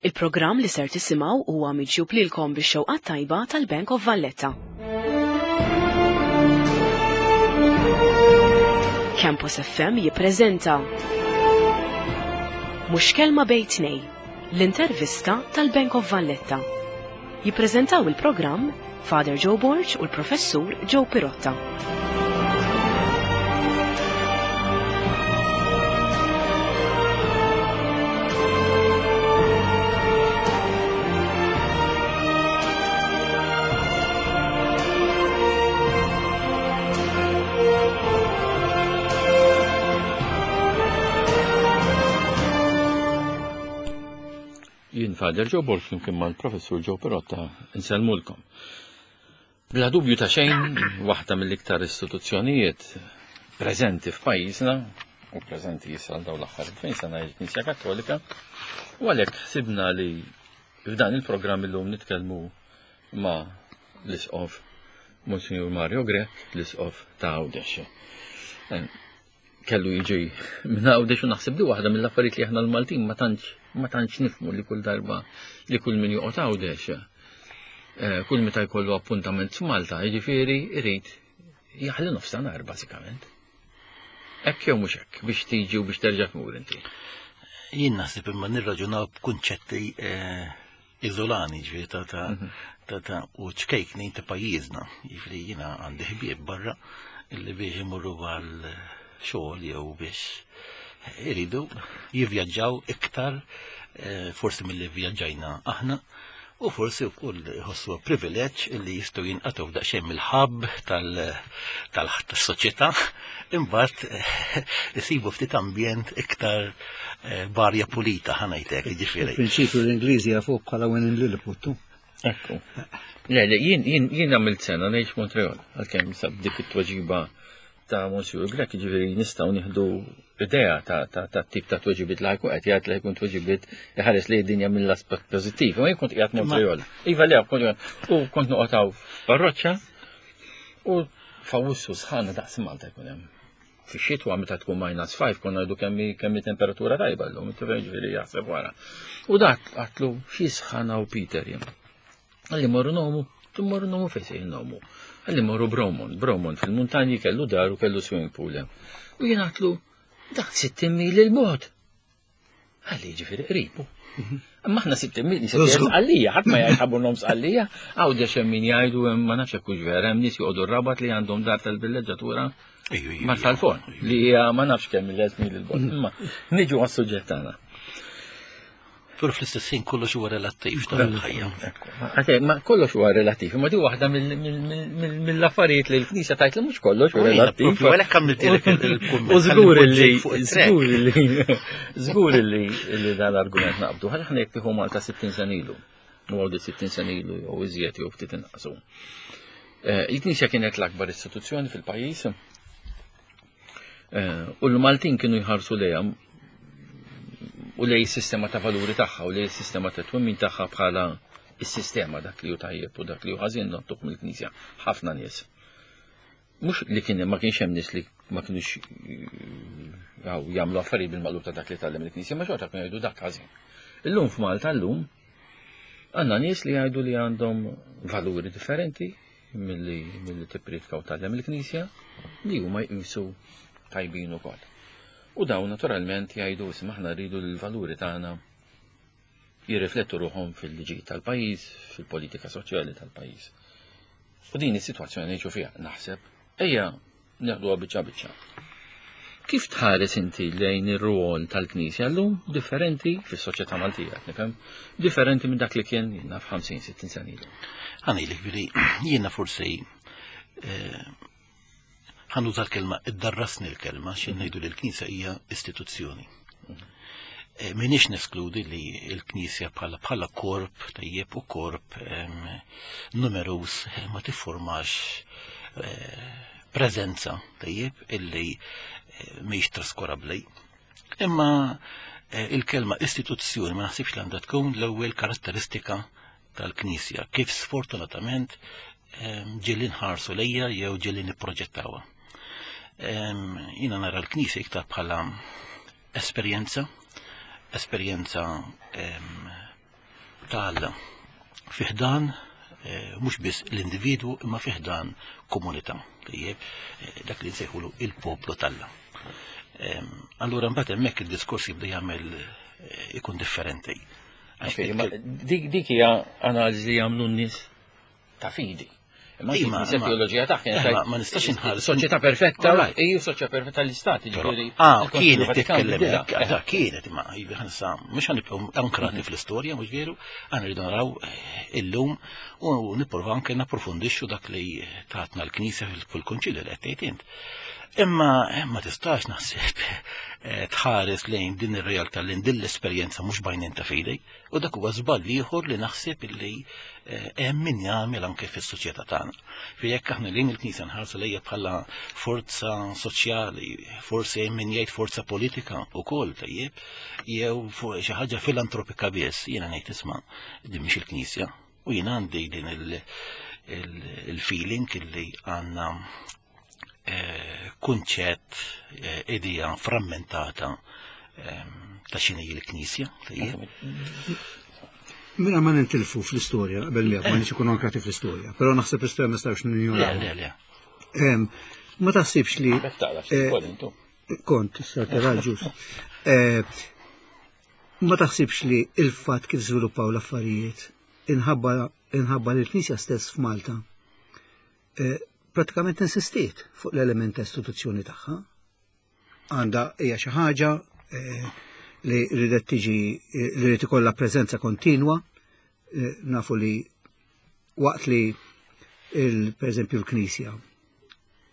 Il-programm li ser tisimgħu huwa miġjub lilkom bix-xewqa tajba tal-Bank of Valletta. Campus FM jippreżenta Mhux kelma bejn tnej, l-intervista tal-Bank of Valletta. Jippreżentaw il-programm Father Joe Borg u l-Professur Joe Pirotta. Jien Father Joe Borg flimkien mal-Professur Joe Perotta insellmulkom. Bla dubju ta' xejn, waħda mill-iktar istituzzjonijiet preżenti f'pajjiżna u preżenti issa għal dawn l-aħħar 2000 sena il-Knisja Kattolika, u għalhekk ħsibna li f'dan il-programm illum nitkellmu ma' l-Isqof Monsignor Mario Grech, l-Isqof ta' Għawdex. Eh, kellu jiġi minn Għawdex u naħseb li waħda mill-affarijiet li aħna l-Maltin ma tantx ma tantx nifmu li kull darba li kull min joqgħod Għawdex eh, kull meta jkollu appuntament f'Malta, jiġifieri jrid jaħli nofstanhar bażikament. Hekk jew mhux hekk biex tiġi u biex terġa' tmur inti. Jien naħseb imma nirraġunaw b'kunċetti eh, iżolani ġifieri ta' ta' mhm. ta' ta' u ċkejknin ta' pajjiżna. Ġifieri jiena għandi ħbieb barra illi biex imorru għal xogħol jew biex iridu jivvjaġġaw iktar eh, forsi milli vvjaġġajna aħna u forsi wkoll iħossu privileġġ illi jistgħu jinqatgħu daqsxejn mill-ħabb tal-soċjetà imbagħad eh, isibu ftit ambjent iktar eh, barja pulita ħanajtek, jiġifieri. Prinċipju l-Ingliżi jafuh bħala when in Lilliput. Ekku. Le, le, jien jien jien għamilt sena ngħix Montreal, għalkemm sab dik it-tweġiba ta' Monsieur Grech, ġifieri nistgħu nieħdu idea ta' ta' ta' tip ta' tweġibiet li ħajkun qed jgħid li jkun tweġibiet iħares li d-dinja mill-aspett pożittiv. Ma jien kont qiegħed Montreal. Iva le, kont u kont noqgħod hawn f'parroċċa u f'Awwissu sħana daqs Malta jkun hemm. Fix-xitwa meta tkun minus 5 konna ngħidu kemm kemm temperatura tajba llum, ġifieri jaħseb wara. U dak għatlu xi sħana u Peter jien. Għalli morru nomu, morru nomu fejn se nomu. Għalli morru Bromont, Bromont fil-muntanji kellu dar u kellu swimming pool hemm. U jien għatlu dak 60 mil il-bogħod. Għalli ġifieri qribu. Imma aħna 60 mil sqallija, ħadd ma jgħid ħabu nom sqallija, għawdex hemm min jgħidu hemm ma nafx hekk hux vera, hemm nies joqogħdu r-rabat li għandhom dar tal-villeġġatura ma tal-fon li hija ma nafx kemm il mil il-bogħod. Imma niġu għas-suġġett tagħna. Però fl-istess ħin kollox huwa relattiv tal-ħajja. Ma kollox huwa relattiv, ma di waħda mill-affarijiet li l-Knisja tajt li mhux kollox huwa relattiv. Għalhekk għamiltilek il-kumment. U żgur li żgur li żgur li li dan l-argument naqbdu. Ħalli aħna jekk tieħu Malta 60 sena ilu. U għawdi 60 sena ilu jew iżjed jew ftit inqasu. Eh, Il-Knisja kienet l-akbar istituzzjoni fil-pajjiż Eh, u l-Maltin kienu jħarsu lejha u lej sistema ta' valuri tagħha u lej sistema ta' twemmin tagħha bħala is-sistema dak li hu tajjeb u dak li hu ħażin nottuh mill-Knisja. Ħafna nies. Mhux li kien ma kienx hemm nies li ma kienux eh, jagħmlu affarijiet bil-maqlub ta' dak li tgħallem il-Knisja, ma xorta kienu jgħidu dak ħażin. Illum f'Malta llum għandna nies li jgħidu li għandhom valuri differenti, milli milli tippriedka u tgħallem il-Knisja li huma jqisu tajbin ukoll. U dawn naturalment jgħidu isma' aħna rridu l-valuri tagħna jirriflettu ruħhom fil-liġijiet tal-pajjiż, fil-politika soċjali tal-pajjiż. U din is-sitwazzjoni ngħixu fiha naħseb ejja Neħduha biċċa biċċa. Kif tħares inti lejn ir-rwol tal-Knisja llum differenti fis-soċjetà Maltija, qed nifhem, differenti minn dak li kien jiena f'50-60 sena ilu? Ħanejlek bili, jiena forsi eh, ħanuża l-kelma, iddarrasni l-kelma, xi ngħidu li l-Knisja hija istituzzjoni. Eh, minix neskludi li l-Knisja bħala bħala korp tajjeb u korp numerus eh, ma tifformax eh, preżenza tajjeb illi mhix traskurabbli. Imma il-kelma istituzzjoni ma naħsibx li għandha tkun l-ewwel karatteristika tal-Knisja, kif sfortunatament ġieli nħarsu lejja jew ġieli nipproġettawha. Jiena nara l-Knisja iktar bħala esperjenza, esperjenza. ta' Alla fi ħdan mhux biss l-individwu imma fi ħdan komunità, tajjeb, dak li nsejħulu il-poplu t'Alla. Allura mbagħad hemmhekk id-diskors jibda jagħmel ikun differenti. Dik hija analiżi li jagħmlu n-nies ta' fidi. Imma il-Knisja teoloġija tagħha ma nistax inħares. Soċjetà perfetta, ejju soċjetà perfetta l-istat, ġifieri. Ah, kienet titkellem hekk, ah, kienet imma ħansa mhux ħanibqgħu ankrati fl-istorja, mhux veru, aħna rridu naraw illum u nipprova anke napprofondixxu dak li tatna l-Knisja fil-Konċilju li qed tgħid int. Imma ma tistax naħseb tħares lejn din ir-realtà, lejn din l-esperjenza mhux bajnejn ta' fidi, u dak huwa żball ieħor li naħseb illi hemm min jagħmel anke fis-soċjetà tagħna. Fi jekk aħna lejn il-Knisja nħarsu lejha bħala forza soċjali, forsi hemm min jgħid forza politika wkoll tajjeb, jew fuq xi ħaġa filantropika biss, jiena ngħid isma' din mhix il-Knisja. U jiena għandi din il-feeling illi għandna kunċett, idea frammentata ta' x'inhi l-Knisja. Mela ma nintilfu fl-istorja, qabel miegħek ma nix ikunu ankrati fl-istorja, però naħseb l-istorja ma nistgħux ninjoraw. Le, le, le. Ma taħsibx li Bek taqra ftit ukoll intu. Kont, issa ġus. Ma taħsibx li il-fatt kif żviluppaw l-affarijiet inħabba inħabba li l-Knisja stess f'Malta pratikament insistiet fuq l-element ta' istituzzjoni tagħha. Għandha hija xi ħaġa li ridet tiġi li rid ikollha preżenza kontinwa, nafu li waqt li per eżempju l-Knisja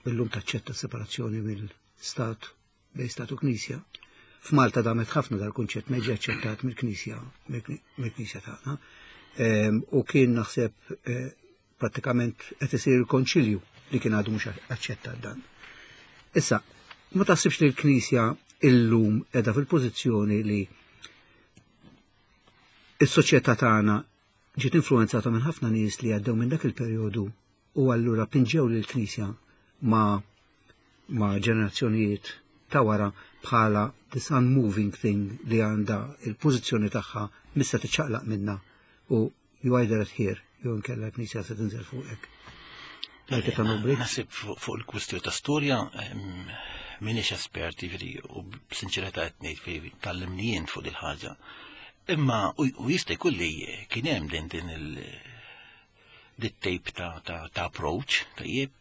illum taċċetta separazzjoni mill-Stat bejn Stat u Knisja. F'Malta damet ħafna dal-kunċett ma ġie aċċettat mill-Knisja mill-Knisja tagħna. U kien naħseb prattikament qed isir il-konċilju li kien għadu mhux aċċettat dan. Issa, ma taħsibx li l-Knisja illum qiegħda fil-pożizzjoni li is-soċjetà tagħna ġiet influenzata minn ħafna nies li għaddew minn dak il-perjodu u allura pinġew lill-Knisja ma' ġenerazzjonijiet ta' wara bħala this unmoving thing li għandha il-pożizzjoni tagħha mista tiċċaqlaq minna u you either adhere jew inkella l-Knisja se tinżel fuqek. Naħseb fuq il-kwistjoni ta' storja m'iniex espert, jiġifieri, u b'sinċerità qed ngħid fi tallimni jien fuq il-ħaġa. Imma u jista' jkun li kien hemm din din il dit-tape ta' approach, tajjeb.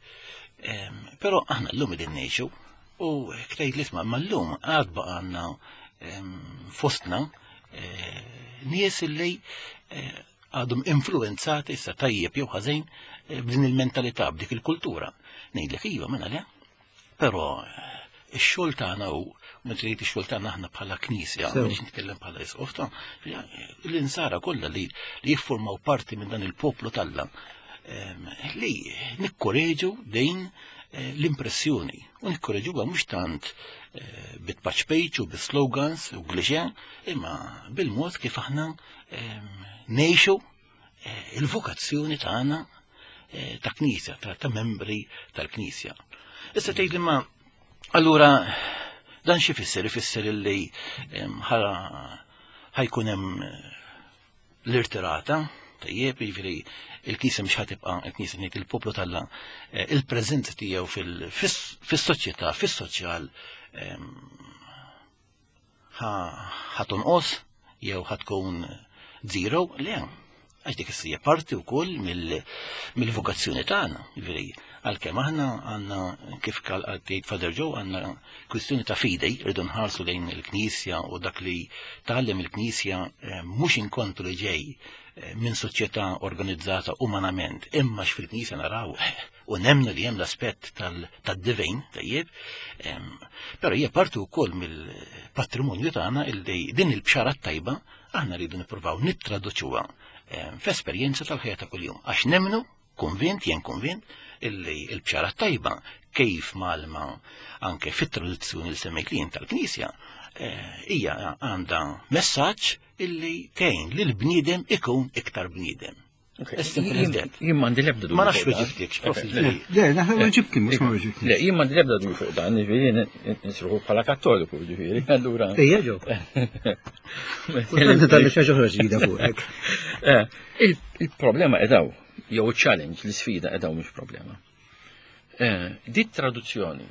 Però aħna llum qegħdin ngħixu u ktejt li isma' imma llum għad baqa' għandna fostna nies illi għadhom influenzati issa tajjeb jew ħażin b'din il-mentalità, b'dik il-kultura. Ngħidlek iva mela le. Però ix-xogħol tagħna hu, meta ngħid ix-xogħol tagħna aħna bħala Knisja, biex nitkellem bħala isqof ta' l-insara kollha li jiffurmaw parti minn dan il-poplu t'Alla, li nikkoreġu din l-impressjoni u nikkoreġuha mhux tant bit-patch page u bi-slogans u klixe, imma bil-mod kif aħna ngħixu il-vokazzjoni tagħna ta' Knisja, ta' membri tal-Knisja. Issa tgħid li ma allura dan xi fisser? Ifisser illi ħajkun hemm l-irtirata, tajjeb, jiġifieri il-Knisja mhux ħatibqa' il-Knisja ngħid il-poplu t'Alla, il-preżenza tiegħu fis-soċjetà, fis-soċjal ħatonqos jew ħatkun zero, le, għax dik issija parti wkoll mill-vokazzjoni tagħna, jiġifieri għalkemm aħna għandna kif tgħid Father Joe għandna kwistjoni ta' fidej, rridu nħarsu lejn il-Knisja u dak li tgħallem il-Knisja mhux inkontru li ġej minn soċjetà organizzata umanament, imma x'fil-Knisja naraw u nemmnu li hemm l-aspett tad-divin, tajjeb, però hija parti wkoll mill-patrimonju tagħna illi din il-bxara tajba aħna rridu nippruvaw nittraduċuha f'esperjenza tal-ħajja ta' kuljum, għax nemmnu, konvint, jien konvint, illi l-bxara tajba kif malma anke fit-traduzzjoni li semmejt li jien tal-Knisja, hija għandha messaġġ illi tgħin lil bniedem ikun iktar bniedem. As simple as that. Jien m'għandi l-ebda dubju. Ma nafx weġibtikx, prof. Le, naħseb weġibtni, mhux ma weġibtni. Le, jien m'għandi l-ebda dubju fuq dan, jiġifieri nisruħu bħala Kattoliku, jiġifieri, allura. Ejja ġew. Kultant nitgħallem xi ħaġa oħra ġdida fuqek. Eh, il-problema qedaw, jew challenge, l-isfida qedaw mhux problema. Eh, dit traduzzjoni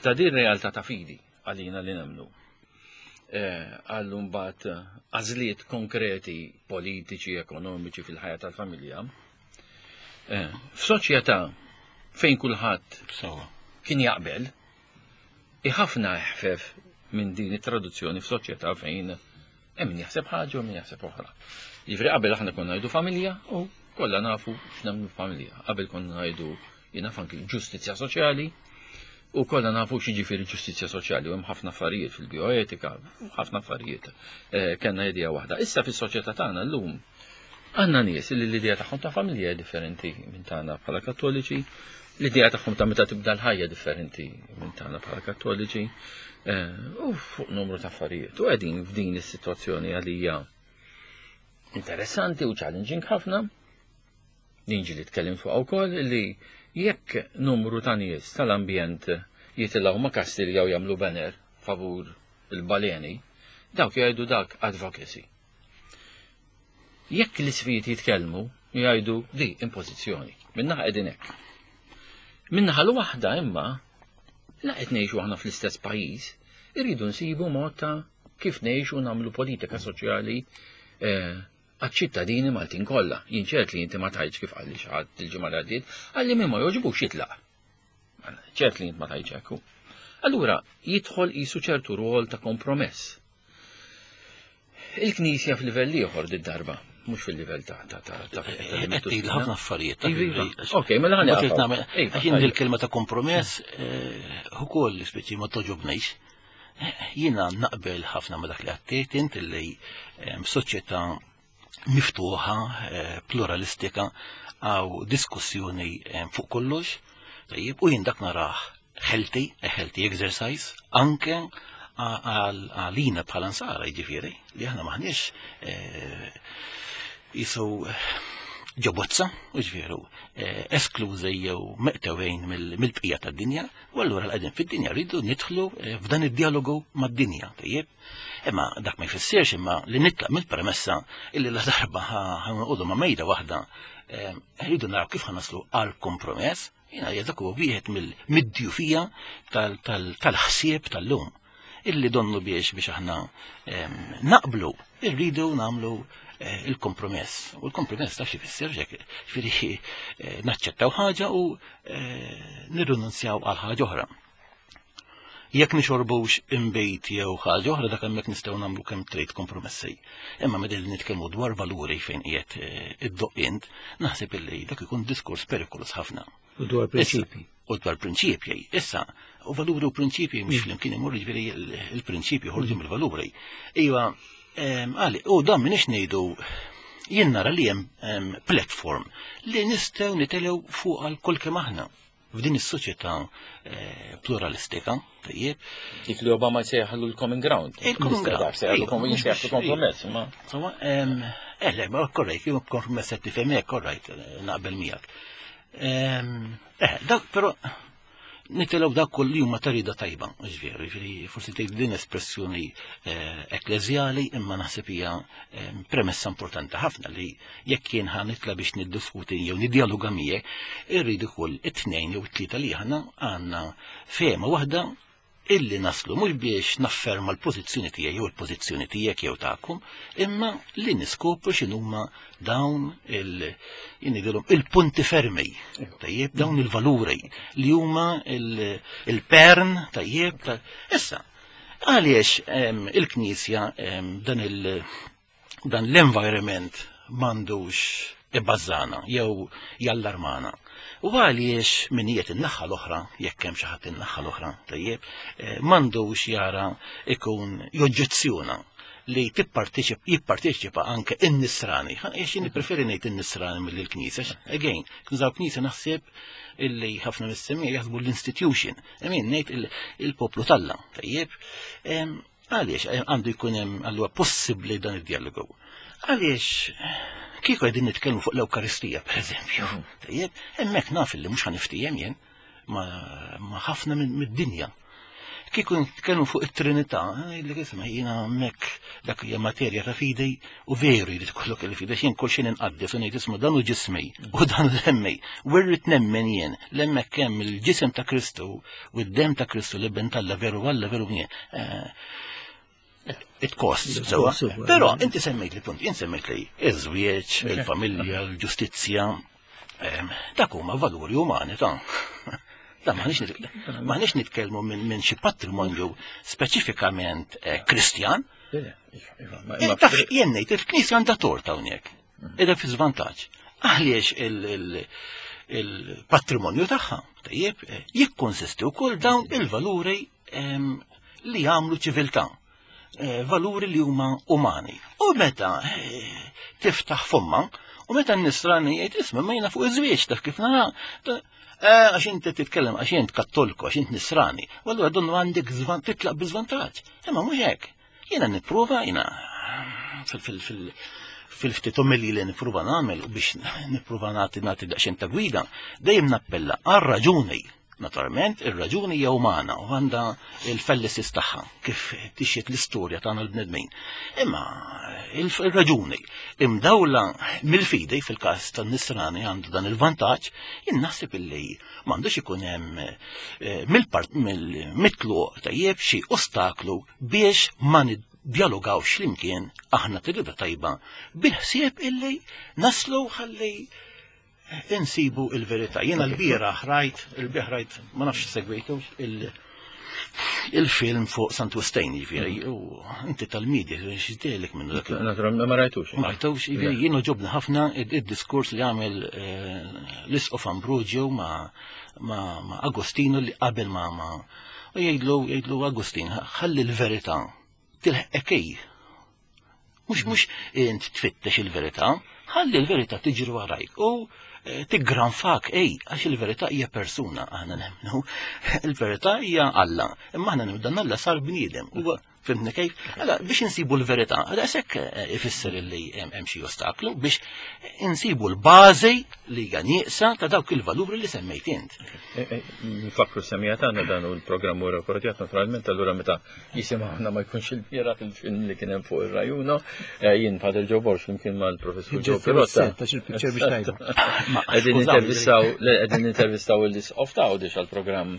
ta' din realtà ta' fidi għalina li nemmnu eh, għal mbagħad għażliet konkreti politiċi, ekonomiċi fil-ħajja tal-familja. Eh, f'soċjetà fejn kulħadd kien jaqbel, ħafna eħfef minn din it-traduzzjoni f'soċjetà fejn hemm min jaħseb ħaġa u min jaħseb oħra. Jiġifieri qabel aħna konna ngħidu familja u kollha nafu x'nagħmlu familja. Qabel konna ngħidu jiena anki ġustizzja soċjali u kollha nafu x'jiġifieri ġustizzja soċjali u hemm ħafna affarijiet fil-bioetika, ħafna affarijiet. Eh, kellna idea waħda. Issa fis-soċjetà tagħna llum għandna nies li l-idea tagħhom ta' familja hija differenti minn tagħna bħala Kattoliċi, l-idea tagħhom ta' meta tibda l-ħajja differenti minn tagħna bħala Kattoliċi, eh, u fuq numru ta' affarijiet. U qegħdin f'din is-sitwazzjoni għalija interessanti u challenging ħafna. Ninġi li tkellim fuq wkoll li jekk numru ta' nies tal-ambjent jitilgħu ma' Kastilja jew jagħmlu banner favur il-baleni, dawk jgħidu dak advocacy. Jekk l-isfijiet jitkellmu, jgħidu di impożizzjoni. Minnaħa qegħdin hekk. Minnaħa l-waħda imma la qed ngħixu aħna fl-istess pajjiż, irridu nsibu mod ta' kif ngħixu nagħmlu politika soċjali eh, għaċ-ċittadini Maltin kollha. Jien ċert li inti ma tgħidx kif qalli xi ħadd il-ġimgħa li għaddiet, qalli min ma jogħġbux jitlaq. Ċert li int ma tgħidx hekk. Allura jidħol qisu ċertu rwol ta' kompromess. Il-Knisja f'livell ieħor did-darba, mhux fil-livell ta' ta' ta' ta' Qed ħafna affarijiet. Iva, ok, mela ħani. Għax il-kelma ta' kompromess eh, ukoll speċi ma toġobnix. Jiena naqbel ħafna ma dak li għattejt int li soċjetà miftuħa, eh, pluralistika, għaw diskussjoni fuq kollox, tajjeb, u jien dak narah healthy, a healthy exercise, anke għalina bħala nsara jiġifieri, li aħna maħniex eh, jisu ġobozza, u ġveru, eh, esklużi jew meqtewejn mill-bqija tad-dinja, u allura l-qegħdin fid-dinja rridu nidħlu eh, f'dan id-dialogu mad-dinja, tajjeb. Imma dak ma jfissirx imma li nitlaq mill-premessa illi la darba ħanqodu ma' mejda waħda eh, rridu naraw kif ħanaslu għal kompromess, jiena dak huwa wieħed mill-djufija tal-ħsieb tal-lum illi donnu biex biex aħna naqblu, irridu namlu eh, il-kompromess. U l-kompromess taf xi fisser ġek, ġifieri eh, naċċettaw ħaġa u eh, nirrinunzjaw għal ħaġa oħra. Jekk nixorbux imbejt jew ħaġa oħra dak hemmhekk nistgħu nagħmlu kemm trid kompromessi. Imma meta nitkellmu dwar valuri fejn qiegħed id-doqint, naħseb illi dak ikun diskors perikolus ħafna. U dwar prinċipji. U dwar prinċipji. Issa, u valuri u prinċipji mhux mm. flimkien imur jiġifieri il-prinċipji ħorġu mm. mill-valuri. Iva, għali, u dan minix ngħidu jien nara li hemm platform li nistgħu nitelgħu fuq għal kull kemm aħna f'din is-soċjetà eh, pluralistika, tajjeb. Dik li Obama jsejjaħlu l-common ground. Il-common ground. Jsejjaħlu kompromess, ma. Insomma, eh, le, ma korrejt, kompromess qed tifhem hekk, korrejt, eh, naqbel miegħek. Eh, dak però nitilgħu dak kull li huma tarida tajba, ġifieri, ġifieri forsi tgħid din espressjoni eh, ekkleżjali imma naħseb hija eh, premessa importanti ħafna li jekk jien ħa nitla biex niddiskuti jew niddialoga miegħek, irrid ukoll it-tnejn jew it-tlieta li aħna għandna fehma waħda illi naslu mhux biex nafferma l-pożizzjoni tiegħi jew il-pożizzjoni tiegħek jew tagħkom, imma li niskopru x'inhuma dawn il il-punti fermi, tajjeb, dawn il-valuri li huma il-pern, tajjeb, issa, għaliex il-Knisja dan il- dan l-environment m'għandux ibbażana jew jallarmana. U għaliex min jiet in-naħa l-oħra, jekk hemm xi ħadd in-naħa l-oħra, tajjeb, eh, m'għandux jara ikun joġġezzjona li jipparteċipa anke in-nisrani. Għax jien preferi ngħid in-nisrani mill l-knisja. Again, nużaw knisja naħseb illi ħafna mis-semija jaħsbu l-institution. Emin ngħid il-poplu talla, tajjeb. Għaliex eh, għandu jkun hemm allura possibbli dan id-dialogu? Għaliex Kieku qegħdin nitkellmu fuq l-Ewkaristija, pereżempju, tajjeb, hemmhekk naf li mhux ħaniftiehem jien ma' ħafna mid-dinja. Kieku nitkellmu fuq it-Trinità, li isma' jiena hemmhekk dak hija materja ta' fidi u veru jrid ikollok il-fidi x'jien kull xejn inqaddes u ngħid isma' dan hu ġismi u dan demmi. U rrid nemmen jien li hemmhekk hemm il-ġisem ta' Kristu u d-demm ta' Kristu li ben t'Alla veru Alla veru bnien. It costs, sewa. Però inti semmejt li punt, jien semmejt li iż-żwieġ, il-familja, l-ġustizzja, dak huma valuri umani ta' Da maħniex nitkellmu minn xi patrimonju speċifikament eh, Kristjan. Eh, taf jien ngħid il-Knisja għandha tort hawnhekk. Qiegħda fi żvantaġġ. Għaliex il-patrimonju tagħha, tajjeb, eh, jikkonsisti wkoll dawn il-valuri li jagħmlu ċiviltà, eh, valuri li huma umani. U meta eh, tiftaħ fomma, u meta n-nisrani jgħid isma' ma jiena fuq iż-żwieġ taf kif nara, eh, għax inti titkellem għax int kattoliku, għax int nisrani, u allura donnu għandek titlaq bi żvantaġġ. Imma mhux hekk. Jiena nipprova, jiena fil-ftit omilji li nipprova nagħmel u biex nipprova nagħti nagħti daqsxejn ta' gwida, dejjem nappella għar-raġuni. Naturalment, ir-raġuni hija umana u għandha il-fallacies tagħha kif tixjed l-istorja tagħna l-bnedmin. Imma il-raġuni imdawla mill-fidi fil-każ tan-nisrani għandu dan il-vantaġġ, jien naħseb illi m'għandux ikun hemm eh, mill-part mill-mitluq tajjeb xi ostaklu biex ma niddialogawx flimkien aħna tirida tajba bil-ħsieb illi naslu ħalli insibu il-verità. Jiena l-bieraħ rajt, il-bieraħ rajt, ma nafx segwejtu il-film fuq Sant Wistain, jiġifieri, u inti tal-media, x'dejlek minnu dak. Naturalment ma rajtux. Ma rajtux, jiġifieri jien ġobni ħafna id-diskors li għamel eh, l-Isqof Ambrogio ma' Agostino li qabel ma' ma' u jgħidlu jgħidlu Agustin, ħalli l-verità tilħqek Mhux mhux int tfittex il-verità, ħalli l-verità tiġri warajk u eh, tiggranfak ej, għax il-verità hija persuna aħna nemmnu. Il-verità hija Alla, imma aħna nemmnu dan Alla sar bniedem. Huwa fimni kif? Alla biex insibu l-verità, daqshekk eh, ifisser li hemm xi ostaklu biex insibu l-bażi li hija nieqsa ta' dawk il-valuri li semmejt int. Eh, nfakru semija tagħna dan u l-programm u rekordjat naturalment allura meta Jisimgħuna ma jkunx il-bieraħ il-film li kien hemm fuq ir-Rajuno, eh, jien Pater Joe Borg flimkien mal-Professur Joe Pirotta. Qegħdin intervistaw, qegħdin intervistaw l-isqof ta' Għawdex għall-programm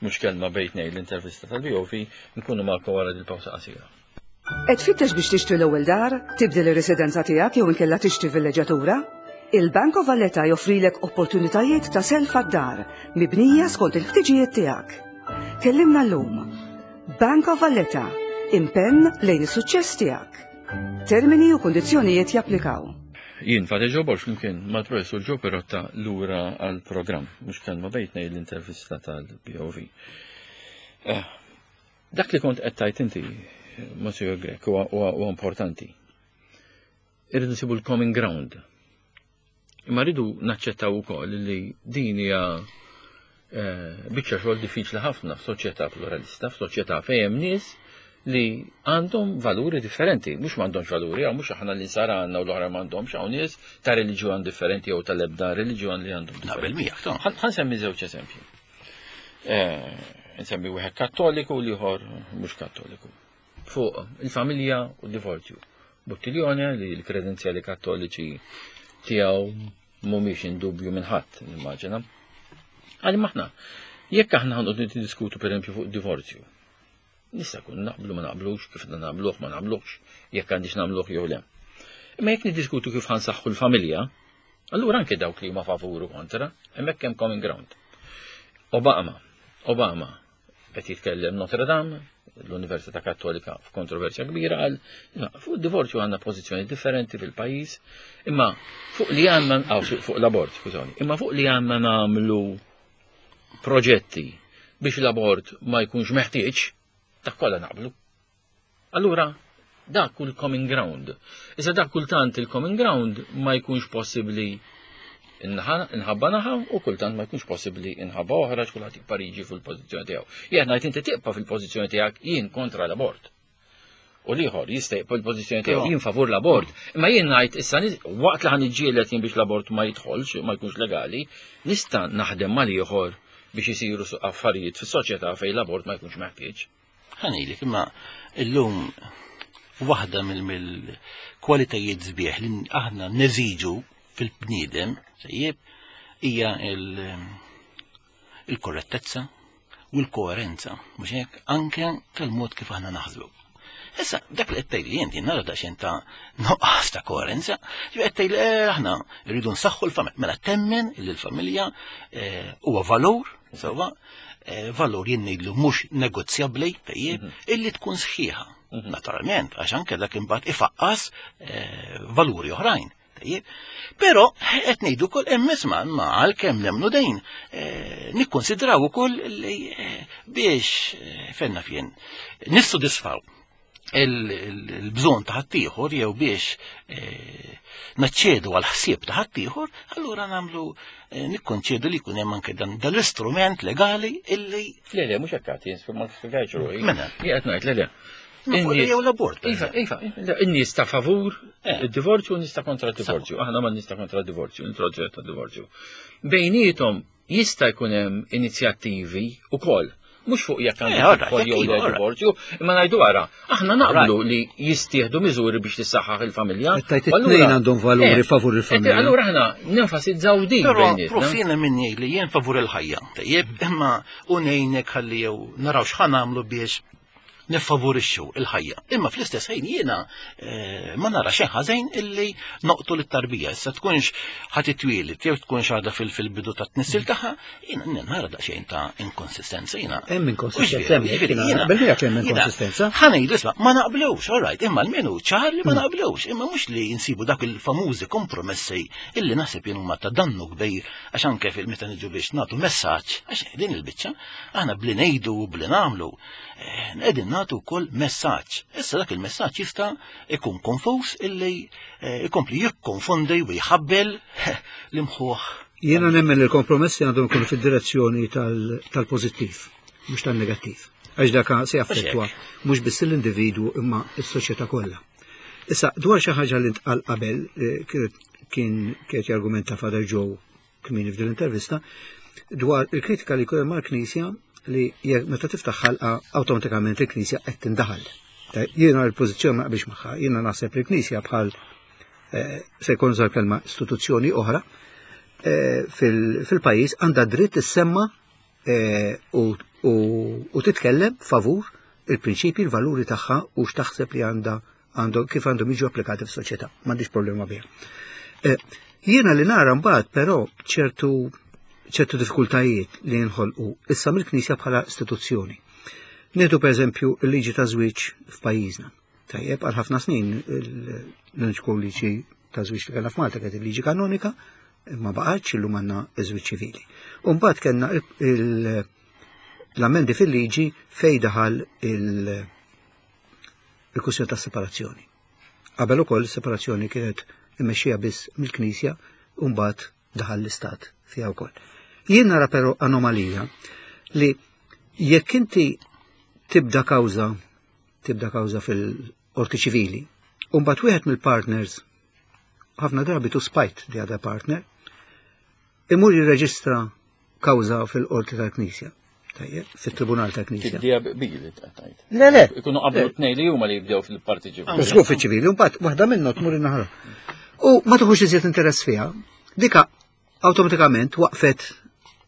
mhux kelma bejtnej l-intervista tal-BOV, nkunu magħkom wara dil-pawsa qasira. Qed tfittex biex tixtri l-ewwel dar, tibdel ir-residenza tiegħek jew inkella tixtri villeġġatura? Il-Bank of Valletta joffrilek opportunitajiet ta' self għad-dar mibnija skont il-ħtiġijiet tiegħek. Kellimna llum. Bank of Valletta, impenn lejn is-suċċess tiegħek. Termini u kundizzjonijiet japplikaw. Jien Father Joe Borg flimkien mal-Professur Joe Pirotta lura għall-programm, mhux kelma bejtna l-intervista tal-BOV. Eh, dak li kont qed tajt inti, Monsignor Grech, huwa importanti. Irridu nsibu l-common ground. Imma rridu naċċettaw ukoll li din hija eh, biċċa xogħol diffiċli ħafna f'soċjetà pluralista, f'soċjetà fejn hemm nies li għandhom valuri differenti, mhux m'għandhomx valuri, għaw mhux aħna li nsara għandna u l-oħra m'għandhomx, hawn nies ta' reliġjon differenti jew tal-ebda reliġjon li għandhom. Naqbel miegħek, Ħa nsemmi żewġ eżempji. Eh, nsemmi wieħed kattoliku u l-ieħor mhux kattoliku. Fuq il-familja u d-divorzju. Buttiglione li l-kredenzjali kattoliċi tiegħu mhumiex indubju minn ħadd, nimmaġina. Għal maħna, jekk aħna ħanqod niddiskutu pereżempju fuq divorzju, nista' kun naqblu ma naqblux, kif nagħmluh ma nagħmluhx, jekk għandix nagħmluh jew le. Imma jekk niddiskutu kif ħansaħħu l-familja, allura anke dawk li huma favur u kontra, hemmhekk hemm common ground. Obama, Obama qed jitkellem Notre Dame, l-Università Kattolika f'kontroversja kbira għal fuq divorzju għandna pożizzjoni differenti fil-pajjiż, imma fuq li għandna fuq l-abort, skużawni, imma fuq li għandna nagħmlu proġetti biex l-abort ma jkunx meħtieġ, dak kollha naqblu. Allura, dak hu l-common ground. Issa dak kultant il-common ground ma jkunx possibbli inħabba naħa u kultant ma jkunx possibbli inħabba oħra x'kulħadd jibqa' jiġi fil-pożizzjoni tiegħu. Jien ngħid inti tibqa' fil-pożizzjoni tiegħek jien kontra l-abort. U l-ieħor jista' jibqa' l-pożizzjoni tiegħu jien favur l-abort. Imma jien ngħid issa waqt li ħa niġġieled jien biex l-abort ma jidħolx, ma jkunx legali, nista' naħdem mal-ieħor biex isiru affarijiet fis-soċjetà fejn l-abort ma jkunx meħtieġ. Ħa ngħidlek, imma illum waħda mill-kwalitajiet sbieħ li aħna neżiġu fil-bniedem, sejjeb, hija il-korrettezza u l-koerenza, mhux hekk, anke tal-mod kif aħna naħsbu. Issa, dak li qed tgħidli inti nara daqsxejn ta' nuqqas ta' koerenza, ġifieri qed tgħidli eh, aħna rridu nsaħħu l-familja. Mela temmen li l-familja eh, huwa valur, sewwa, eh, valur jien ngħidlu mhux negozjabbli, tajjeb, illi tkun sħiħa. Naturalment, għax anke dak imbagħad ifaqqas valuri oħrajn. Tajjeb. Però qed ngħidu wkoll hemm isma' ma għalkemm nemmnu dejn eh, nikkonsidraw ukoll li eh, biex eh, fenna fien nissodisfaw il-bżonn ta' ħaddieħor jew biex naċċedu għal ħsieb ta' ħaddieħor, allura nagħmlu nikkonċedu li jkun hemm anke dan l-istrument legali illi Le, le, mhux hekk għad, ma spjegajtx ruħi. Mela. Jien qed ngħid, le, le. Jew l-abort. Iva, iva, in-nies ta' favur eh. id-divorzju u nies ta' kontra d-divorzju. Aħna ma nies ta' kontra d-divorzju, introġġett ta' divorzju. Bejnietom jista' jkun hemm inizjattivi ukoll mhux fuq jekk għandu eh, jidħol jew le divorzju, imma ngħidu ara, aħna naqblu li jistieħdu miżuri biex tissaħħaħ il-familja. Tajt it-tnejn għandhom valuri eh, favur il-familja. Allura aħna nenfasizzaw din. Però prof jiena min jgħid li jien favur il-ħajja. Tajjeb, imma u ngħinek ħalli jew naraw x'ħa nagħmlu biex niffavorixxu il-ħajja. Imma fl-istess ħin jiena eh, ma nara xejn ħażin illi noqtu lit-tarbija. Issa tkunx ħadd itwieled jew tkunx għadha fil-bidu ta' tnissil tagħha, jiena nara daqsxejn ta' inkonsistenza jiena. Hemm inkonsistenza, hemm hemm inkonsistenza. Ħa ngħidu isma' ma naqblux, all right, imma l-menu ċar li ma hmm. naqblux, imma mhux li nsibu dak il-famużi kompromessi illi naħseb jien huma ta' dannu kbir għax anke fil-meta niġu biex nagħtu messaġġ għax din il-biċċa aħna bli ngħidu u bli nagħmlu Qegħdin nagħtu wkoll messaġġ. Issa dak il-messaġġ jista' ikun konfuż illi eh, ikompli jikkonfondi u jħabbel l-imħuħ. Jiena nemmen li l-kompromessi għandhom ikunu fid-direzzjoni tal-pożittiv, mhux tan-negattiv. Għax dak se jaffettwa mhux biss l-individwu imma s-soċjetà kollha. Issa, dwar xi ħaġa li ntqal qabel eh, kien kienet jargumenta Father Joe kmieni f'din l-intervista dwar il-kritika li jkun hemm mal-Knisja li jekk meta tiftaħ ħalqa awtomatikament il-Knisja qed tindaħal. Jiena l-pożizzjoni ma naqbilx magħha, jiena naħseb li l-Knisja bħal eh, se jkun żar kelma istituzzjoni oħra eh, fil-pajjiż għandha dritt issemma eh, u titkellem favur il-prinċipji, il-valuri tagħha u x'taħseb li għandha għandhom kif għandhom jiġu applikati fis-soċjetà, m'għandix problema biha. Eh, jiena li nara mbagħad però ċertu ċertu diffikultajiet li jinħolqu issa mill-Knisja bħala istituzzjoni. Nieħdu pereżempju l-liġi ta' żwieġ f'pajjiżna. Tajjeb, għal ħafna snin l-uniku liġi ta' żwieġ li kellna f'Malta kienet il-liġi kanonika, imma baqgħetx illum għandna ż-żwieġ ċivili. U mbagħad kellna l-ammendi fil-liġi fejn daħal il- il-kwistjoni tas-separazzjoni. Qabel ukoll separazzjoni kienet immexxija biss mill-Knisja u mbagħad daħal l-Istat fiha wkoll. Jien nara però anomalija li jekk inti tibda kawża tibda kawża fil-qorti ċivili u mbagħad wieħed mill-partners ħafna drabi to spite the other partner imur jirreġistra kawża fil-qorti tal-Knisja. Tajjeb, fit-Tribunal tal-Knisja. Tibdija bili tajt. Le, le. Ikunu qablu tnej li huma li jibdew fil-parti ċivili. Żgur fiċ-ċivili, mbagħad waħda minnhom tmur in-naħa. U ma tuħux iżjed interess fiha, dika awtomatikament waqfet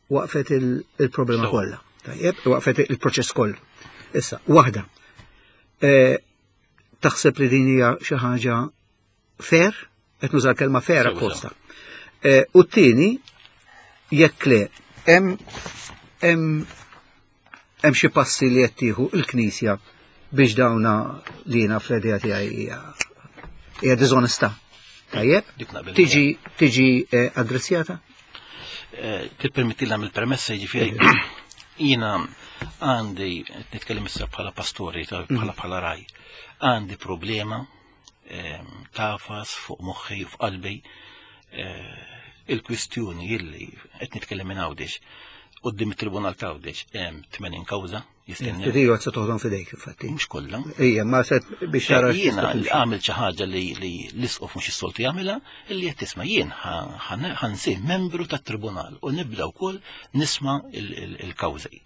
waqfet il-problema kollha. Tajjeb, waqfet il-proċess kollu. Issa, waħda. E, taħseb li din hija xi ħaġa fair, qed nuża l-kelma fair apposta. Eh, u t-tieni, jekk le, hemm hemm hemm xi passi li qed tieħu l-Knisja biex dawna li jiena fl-idea tiegħi hija hija diżonestà. Tajjeb? Tiġi tiġi eh, addressjata? Eh, tippermetti l il-premessa jiġifieri jiena għandi nitkellem issa bħala pastori, bħala bħala raj, għandi problema tafas fuq moħħi u f'qalbi eh, il-kwistjoni illi qed nitkellem minn Għawdex. Quddiem it-Tribunal ta' Għawdex hemm 80 kawża jistennew. Dik se toħdom f'idejk infatti. Mhux kollha. Ejja, ma se biex tara. Jiena għamil xi ħaġa li l-isqof mhux is-soltu jagħmilha, illi qed tisma' jien ħansir membru tat-tribunal u nibda wkoll nisma' il-kawżi.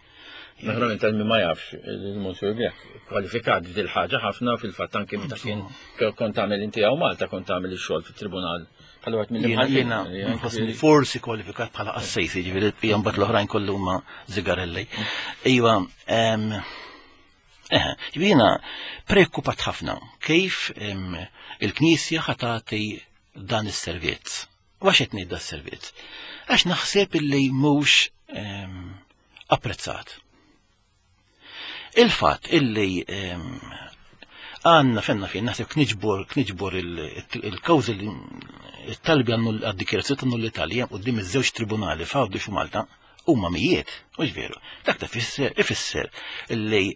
Naturalment għal min ma jafx, il-Monsieur Grech kwalifikat f'dil ħaġa ħafna fil-fatt anke meta kien kont tagħmel inti hawn Malta kont tagħmel ix-xogħol fit-tribunal bħala wieħed mill-imħallfin. Jiena nħossni forsi kwalifikat bħala qassejs, jiġifieri l-bqija mbagħad l-oħrajn kollu huma zigarelli. Iva, eh, jiena preokkupat ħafna kif il-Knisja ħatati dan is-servizz. U għax qed ngħid das-servizz? Għax naħseb illi mhux apprezzat. Il-fatt illi għanna fenna fejn naħseb kniġbor kniġbor il-kawżi li it-talbi għad-dikjerazzjoni ta' nullità li hemm quddiem iż-żewġ tribunali f'Għawdex u Malta huma mijiet, mhux veru. Dak ta' fisser ifisser li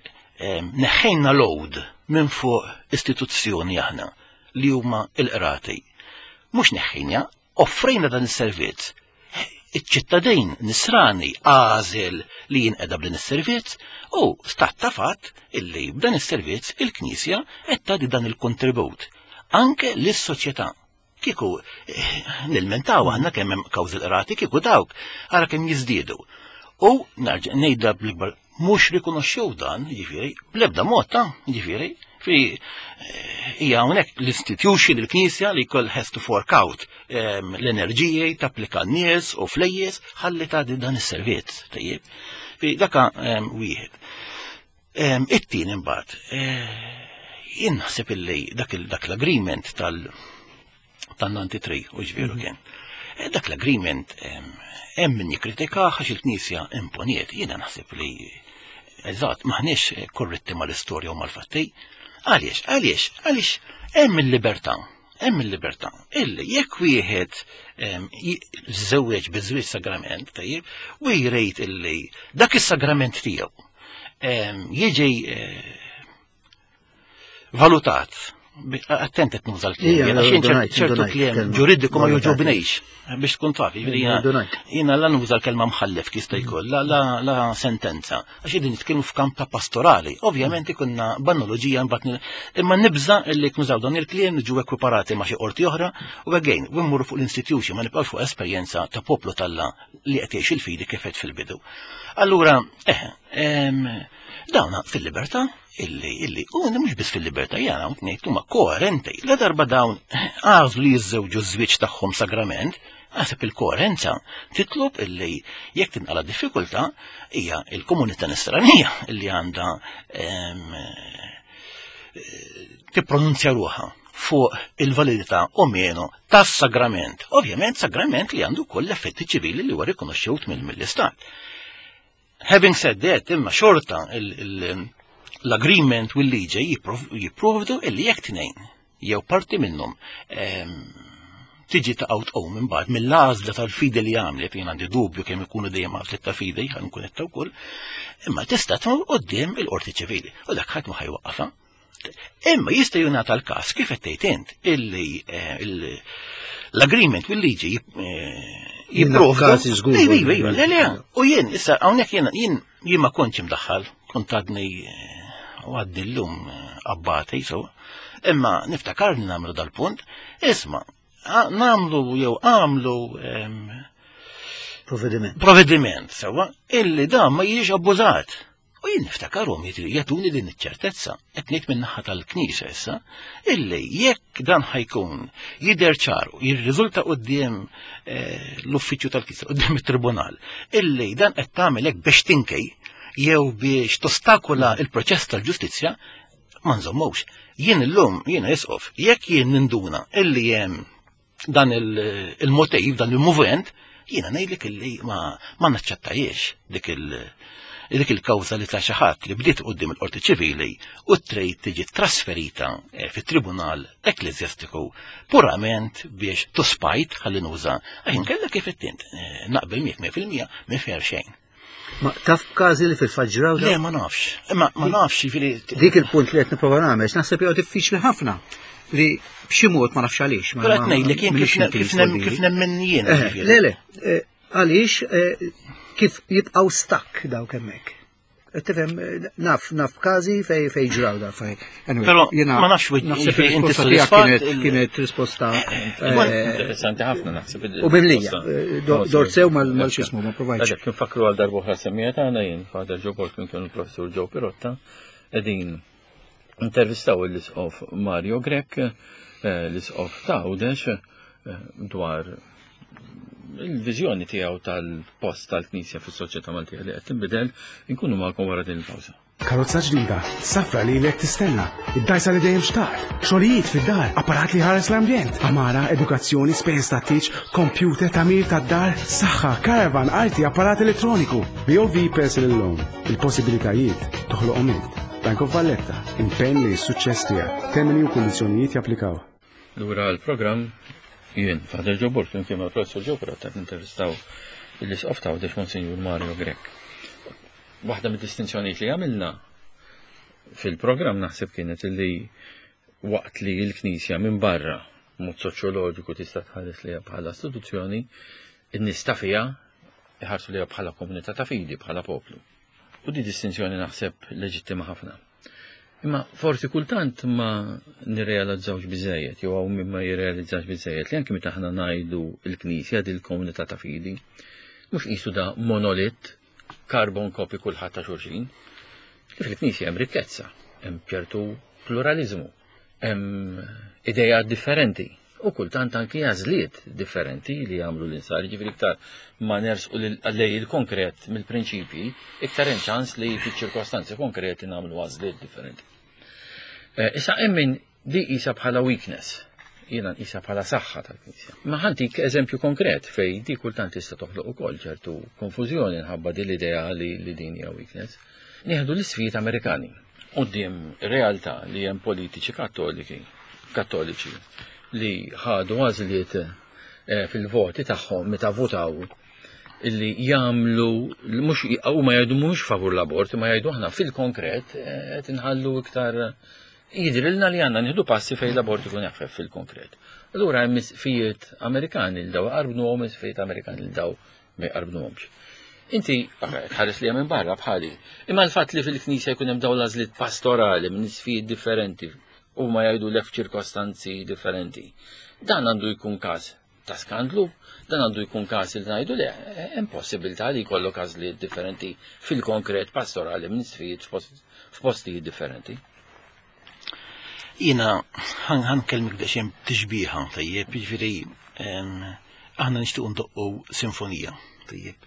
neħħejna load minn fuq istituzzjoni aħna li huma l-qrati. Mhux neħħejna, Offrejna dan is-servizz. Iċ-ċittadin nisrani għażel li jinqeda b'din is-servizz u stat ta' fatt illi b'dan is-servizz il-Knisja qed tagħti dan il-kontribut anke lis-soċjetà. Kieku eh, nilmentaw aħna kemm hemm kawżi l-qrati kieku dawk ara kemm jiżdiedu. U nerġa' ngħidha bl-ikbar mhux rikonoxxew dan, jiġifieri, bl-ebda mod ta' jiġifieri, fi eh, hija hawnhekk l-institution il-Knisja li jkoll has to fork out ehm, l-enerġiji tapplika n-nies u flejjes ħalli tagħti dan is-servizz, tajjeb. Fi daka ehm, wieħed. Ehm, it-tieni imbagħad, eh, jien naħseb illi dak l-agreement tal- tan-93 u ġvieru mhm. kien. Eh, dak l-agreement hemm min jikkritika għax il-Knisja imponiet, jiena naħseb li eżatt maħniex korretti mal-istorja u mal-fatti. Għaliex, għaliex, għaliex hemm il-libertà, hemm il-libertà. Illi jekk wieħed żewweġ biż-żwieġ sagrament, tajjeb, u jrejt illi dak is-sagrament tiegħu jiġi eh, valutat. Attent qed nuża l-kliem, għax ċertu kliem ġuridiku ma joġobnejx biex tkun taf. Jiena la nuża l-kelma mħallef jista' jkun, la sentenza, għax qegħdin nitkellmu f'kamp ta' pastorali. Ovvjament ikunna b'analoġija mbagħad imma nibża' li nużaw dan il-kliem niġu ekwiparati ma' xi qorti oħra u again, u mmorru fuq l-institution ma nibqgħux fuq esperjenza ta' poplu talla li qed jgħix il-fidi kif qed fil-bidu. Allura, eh, dawna fil-libertà illi illi u mhux biss fil-libertà jara ngħid huma koerenti. La darba dawn għażlu li jiżżewġu ż-żwieġ tagħhom sagrament, naħseb il-koerenza titlob illi jekk tinqala diffikultà hija il-komunità nisranija illi għandha tippronunzja ruħha fuq il-validità o meno tas-sagrament. Ovvjament sagrament li għandu koll effetti ċivili li huwa rikonoxxut mill-istat. Having said that, imma xorta l-agreement u l-liġi jipprovdu illi jekk tnejn jew parti minnhom ehm, tiġi ta' out o minn ba'd mill-għażla tal-fidi li għamlet, jien għandi dubju kemm ikunu dejjem għażlet ta' fidi, ħan nkun qed wkoll, imma tista' tmur qudiem il-qorti ċivili u dak ħadd ma ħajwaqqafha. Imma jista' jingħata l-każ kif qed tgħid int illi eh, l-agreement bil-liġi eh, jipprovdu. Iva, iva, iva, le, le, u jien, issa hawnhekk jien jien jien ma kontx imdaħħal, kont għadni eh, u għadni llum abbati, so. Imma niftakar li nagħmlu dal-punt, isma' nagħmlu jew għamlu Provvediment. Provvediment, sewa, illi dan ma jiġix abbużat. U jien niftakarhom jagħtuni din iċ-ċertezza, qed ngħid min-naħa tal-Knisja issa, illi jekk dan ħajkun jidher ċar u jirriżulta quddiem eh, l-uffiċċju tal-Knisja, quddiem it-tribunal, illi dan qed tagħmel hekk biex tinkej jew biex tostakola il-proċess tal-ġustizzja, ma nżommux. Jien illum, jiena isqof, jekk jien ninduna illi hemm dan il-motiv, dan il-movent, jiena ngħidlek illi ma, ma naċċettajiex dik il- dik il-kawża li ta' xi ħadd li bdiet quddiem il-Qorti Ċivili u trejt tiġi trasferita eh, fit-Tribunal Ekkleżjastiku purament biex tuspajt ħalli nuża għax kellha kif it-tint eh, naqbel miegħek 100% minn fer xejn. Ma taf b'każi li fil-fatt ġraw Le, ma nafx. Imma ma nafx, jiġifieri. Dik il-punt li qed nipprova nagħmel, naħseb jew diffiċli ħafna li b'xi mod ma nafx għaliex. Però qed ngħidlek jien kif nemmen jien. Eh, le, le, eh, għaliex eh, Kif jibqgħu stuck dawk hemmhekk. Tifhem, naf, naf każi fej fej ġraw da fej. Anyway, Però ma nafx naħseb inti sodisfatt kienet risposta eh, eh, interessanti ħafna naħseb. U mimlija, eh, dorsew mal-xismu ma provajtx. Kif fakru għal darba oħra semmija tagħna jien Father Joe Borg minn kienu l-professur Joe Pirotta qegħdin intervistaw l-isqof Mario Grech, l-isqof ta' Għawdex dwar il-viżjoni tiegħu tal-post tal-Knisja fis-soċjetà Maltija li qed tinbidel, inkunu magħkom wara din il-pawża. Karozza ġdida, safra li lek tistenna, id-dajsa li dejjem xtaqt, xogħlijiet fid-dar, apparat li ħares l-ambjent, amara, edukazzjoni, spejjeż ta' tieġ, kompjuter, tagħmir tad-dar, saħħa, caravan, arti, apparat elettroniku. BOV Personal Loan, il-possibilitajiet toħloqhom int. Bank of Valletta, impenn li s-suċċess tiegħek. Termini u kundizzjonijiet japplikaw. Lura l-programm jien, Father Joe Borg, flimkien mal-Professur Joe Pirotta qed nintervistaw l-Isqof ta' Għawdex Monsinjur Mario Grech. Waħda mid-distinzjonijiet li għamilna fil-programm naħseb kienet li waqt li l-Knisja minn barra mod soċjoloġiku tista' tħares liha bħala istituzzjoni, in-nies ta' fiha iħarsu liha bħala komunità ta' fidi, bħala poplu. U di distinzjoni naħseb leġittima ħafna. Imma forsi kultant ma nirrealizzawx biżejjed, jew hawn min ma jirrealizzax biżejjed li anki meta aħna ngħidu l-Knisja din il-komunità ta' fidi, mhux qisu da monolit, carbon copy kulħadd ta' xulxin. Li fil-Knisja hemm rikkezza, hemm ċertu pluraliżmu, hemm idejat differenti u kultant anki għażliet differenti li jagħmlu l-insar, jiġifieri iktar ma nersqu lej il-konkret mill-prinċipji, iktar hemm ċans li fiċ-ċirkostanzi konkreti nagħmlu għażliet differenti. Eh, issa hemm min di qisha bħala weakness, jiena nqisha bħala saħħa tal-Knisja. Ma ħantik eżempju konkret fej di kultant tista' toħloq ukoll ċertu konfużjoni nħabba din l-idea li, li din hija weakness. Nieħdu l-isfijiet Amerikani. Quddiem realtà li hemm politiċi kattoliki, kattoliċi li ħadu għażliet eh, fil-voti tagħhom meta votaw illi jagħmlu mhux huma jgħidu mhux favur l-abort, ma jgħidu aħna fil-konkret eh, qed inħallu iktar jidrilna li għandna nieħdu passi fejn l-abort ikun jaħfef fil-konkret. Allura hemm isfijiet Amerikani l daw qarbnuhom isfijiet Amerikani l daw ma jqarbnuhomx. Inti tħares li minn barra bħali. Imma l-fatt li fil-knisja jkun hemm dawn l-għażliet pastorali minn isfijiet differenti u ma jgħidu lek f'ċirkostanzi differenti. Dan għandu jkun każ ta' skandlu, dan għandu jkun każ li ngħidu le, hemm possibilità li jkollok għażliet differenti fil-konkret pastorali minn isfijiet f'postijiet differenti. Jiena ħan kelmik daqsxejn tixbieha tajjeb, jiġifieri aħna nixtiequ ndoqqu sinfonija, tajjeb.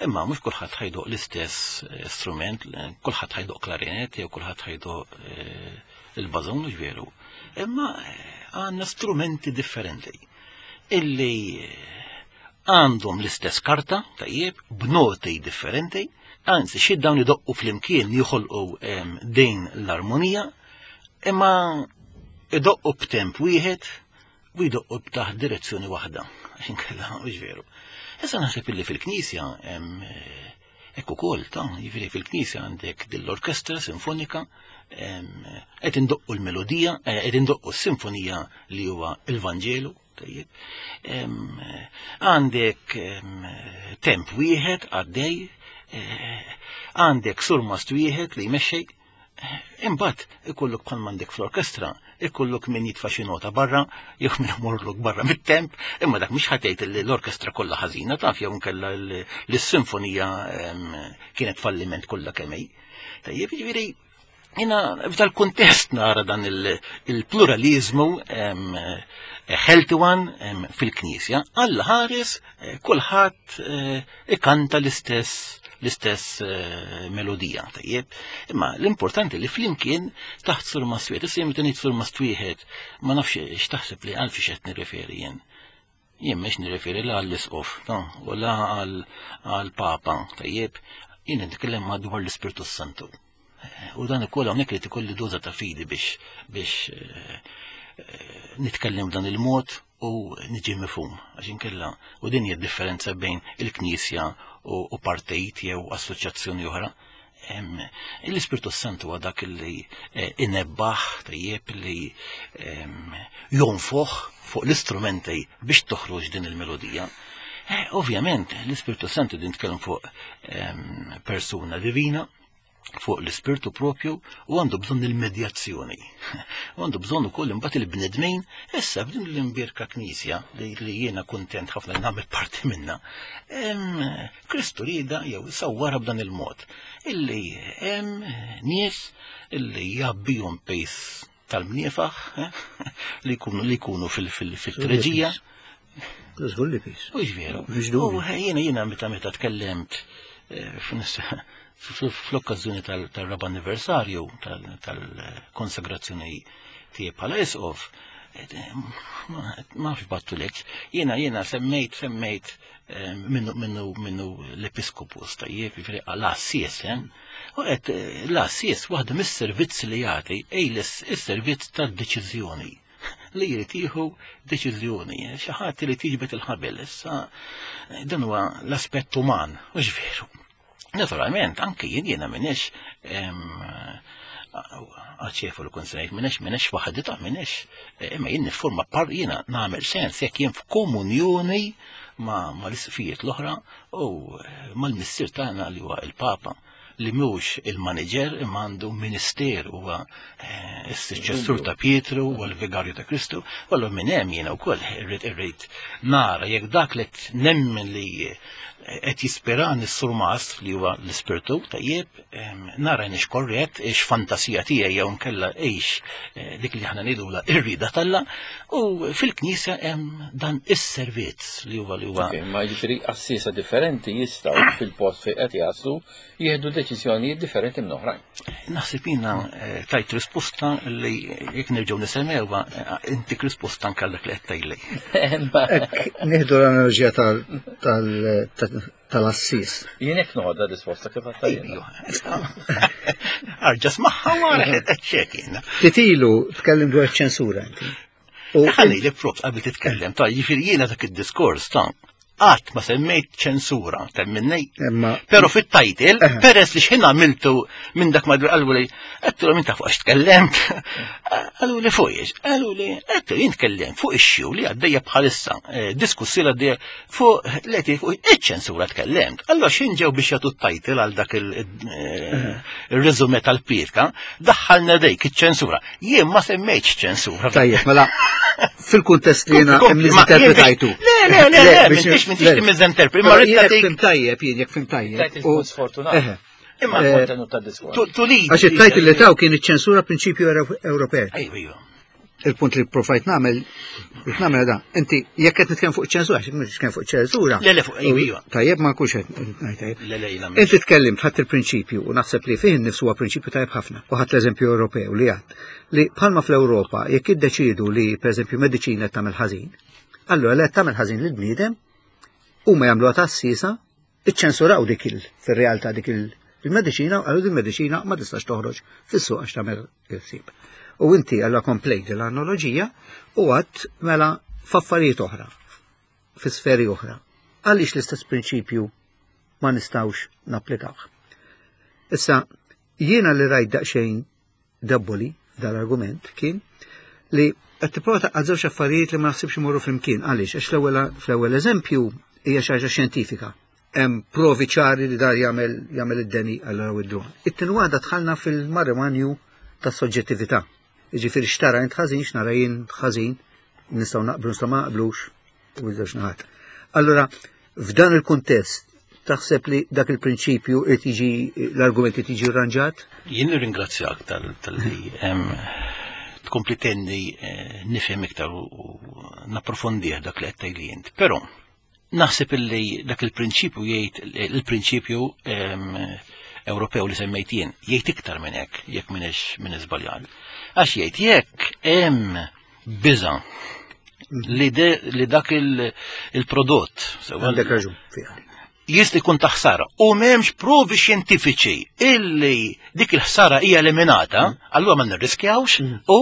Imma mhux kulħadd ħajdoq l-istess eh, strument, eh, kulħadd ħajdoq klarinet jew kulħadd ħajdoq eh, il-bażun mhux veru. Imma għandna strumenti differenti illi għandhom l-istess karta, tajjeb, b'noti differenti, anzi xi dawn idoqqu flimkien joħolqu din l-armonija, imma idoqqu b'temp wieħed u jdoqqu b'taħt direzzjoni waħda, għax inkella mhux veru. Issa naħseb illi fil-Knisja hekk ukoll ta' jiġifieri fil-Knisja għandek dil-orkestra sinfonika qed indoqqu l-melodija, eh, qed indoqqu s-sinfonija li huwa il-Vanġelu, tajjeb. Għandek temp wieħed għaddej, eh, għandek surmast wieħed li jmexxej, Imbagħad ikollok bħal m'għandek fl-orkestra, ikollok min jitfa' xi nota barra, jew min imorlok barra mit-temp, imma dak mhux ħatejt li l-orkestra kollha ħażina taf jew inkella l-sinfonija kienet falliment kollha kemm hi. Tajjeb, jiġifieri jiena f'dal-kuntest nara dan il-pluralizmu healthy one fil-Knisja, Alla ħares eh, kulħadd eh, ikanta l-istess l-istess eh, melodija, tajjeb. Imma l-importanti li flimkien taħt sur mastwiet, issa meta ngħid sur mastwieħed, ma nafx x'taħseb li għal fiex qed nirreferi jien. Jien mhux nirreferi la għall-isqof, u la għall-papa, tajjeb, jien nitkellem madwar l-Ispirtu Santu. U dan ukoll hawnhekk li tikolli doża ta' fidi biex biex eh, eh, nitkellem dan il-mod u niġi mifhum għax inkella u din hija differenza bejn il-Knisja u partit jew assoċjazzjoni oħra. L-Ispirtu Santu huwa dak li eh, inebbaħ tajjeb li jonfoħ fuq l-istrumenti biex toħroġ din il-melodija. Eh, ovvjament, l-Ispirtu Santu din tkellem fuq ehm, persuna divina, fuq l-ispirtu propju u għandu bżonn il-medjazzjoni. U għandu bżonn ukoll imbagħad il-bnedmin issa f'din l-imbierka knisja li, li jiena kuntent ħafna li nagħmel parti minna. Kristu rieda jew sawwara b'dan il-mod illi hemm nies illi jabbihom pejs tal-mniefaħ eh, li jkunu li jkunu fil-treġija. Żgur li pis. U veru. U jiena jiena meta meta tkellimt eh, fl-okkażjoni tal-raba anniversarju tal-konsagrazzjoni tiegħi bħala isqof, eh, ma nafx battulek, jiena jiena semmejt semmejt minnu minnu minnu l-episkopus tajjeb, jiġifieri għal-assies, eh? U qed eh, l-assies waħda mis-servizz li jagħti ej is-servizz tad-deċiżjoni li jrid jieħu deċiżjoni, xi ħadd li tiġbed il-ħabel. Issa dan huwa l-aspett uman, u veru. Naturalment, anki jien jiena minix għaċefu li kont minix minix waħdi ta' minix, imma jien nifforma par jiena nagħmel sens jekk jien f'komunjoni ma' l-isqfijiet l-oħra u mal-missier tagħna li huwa il-Papa li mhux il-manager imma għandu ministeru huwa eh, s-suċċessur ta' Pietru u l-vigarju ta' Kristu, u allura minn hemm jiena wkoll irrid irrid nara jekk dak li nemmen li qed jispirani s-surmast li huwa l-ispirtu tajjeb, nara nix korrett, ix fantasija tiegħi jew nkella ix eh, dik li aħna ngħidula ir-rida talla, u fil-knisja hemm dan is-servizz li huwa li huwa. Ma jiġifieri assisa differenti jistgħu fil-post fejn qed jaslu jieħdu deċiżjonijiet differenti minn oħrajn. Naħseb jiena eh, tajt risposta li jekk nerġgħu nisemgħuha eh, intik risposta anke dak li qed tgħidli. Nieħdu l-analoġija tal-assis. Jien hekk noħodha risposta kif qed tgħidli. Arġa smaħħa wara qed ċek jiena. Titilu tkellim dwar ċensura inti. Ħalli li props qabel titkellem, ta' jiġifieri jiena dak id-diskors ta' qatt ma semmejt ċensura, temminni. Pero fit-title, peress li xħin għamiltu minn dak madwar qalu li, għattu minn ta' fuq għax tkellemt, qalu li fuq iex, qalu li, għattu jien tkellem fuq issue li għaddejja bħalissa, eh, diskussjoni għaddejja fuq leti fuq iċ-ċensura tkellemt. Allora x'in ġew biex jagħtu t-title għal dak il-reżume eh, tal-pirka, daħħalna dejk iċ-ċensura. Jien ma semmejtx ċensura. Tajjeb, mela fil-kuntest li jiena miżinterpretajtu. Le, le, le, le, m'intix m'intix timmiżinterpret. Ma rrid jekk fim tajjeb, jien jekk fim tajjeb. Sfortunat. Imma eh, kontenut ta' diskors. Għax it-tajt li taw kien iċ-ċensura prinċipju Ewropej. Ejju, ejju. Il-punt li provajt nagħmel, li nagħmel da, inti jekk qed nitkellem fuq ċensura, għax nitkellem fuq ċensura. Le, le, fuq ejju. Tajjeb ma nkunx qed ngħid tajjeb. Le, le, jiena Inti tkellimt ħadd il-prinċipju u naħseb li fih innifsu huwa prinċipju tajjeb ħafna. U ħadd l-eżempju Ewropew li għad li bħalma fl-Ewropa jekk iddeċiedu li pereżempju mediċina qed tagħmel ħażin, allura li qed tagħmel ħażin lill-bniedem huma jagħmluha tassisa iċċensuraw dik il fir-realtà dik il-mediċina u qalu din mediċina ma tistax toħroġ fis-suq għax tagħmel il-ħsieb. U inti allura komplejt l-analoġija u għadt mela f'affarijiet oħra, fi sferi oħra. Għaliex l-istess prinċipju ma nistgħux napplikawh. Issa, jiena li rajt daqsxejn debboli dal-argument kien li qed tipprova taqgħad żewġ affarijiet li ma naħsibx imorru flimkien. Għaliex? Għax l-ewwel fl-ewwel eżempju hija xi ħaġa xjentifika. Hemm provi ċari li dar jagħmel jagħmel id-deni għal id-dwan. It-tieni waħda dħalna fil-marimanju tas-soġġettività. Jiġifieri x'tara int ħażin, x'nara jien ħażin, nistgħu naqblu nistgħu ma naqblux u żewġ naħat. Allura, f'dan il-kuntest, taħseb li dak il-prinċipju irid jiġi l-argument irid jiġi rranġat? Jien nirringrazzjak tal-li tkompli tenni eh, nifhem iktar u napprofondih dak li qed tgħidli int. Però naħseb illi dak il-prinċipju jgħid il-prinċipju Ewropew li semmejt jien jgħid iktar minn hekk jekk m'iniex minn iżbaljat. Għax jgħid jekk hemm biża li, li dak il-prodott. Għandek raġun fiha. Jista' jkun ta' ħsara u m'hemmx provi xjentifiċi illi dik il-ħsara hija eliminata, mm. allura ma nirriskjawx mm. u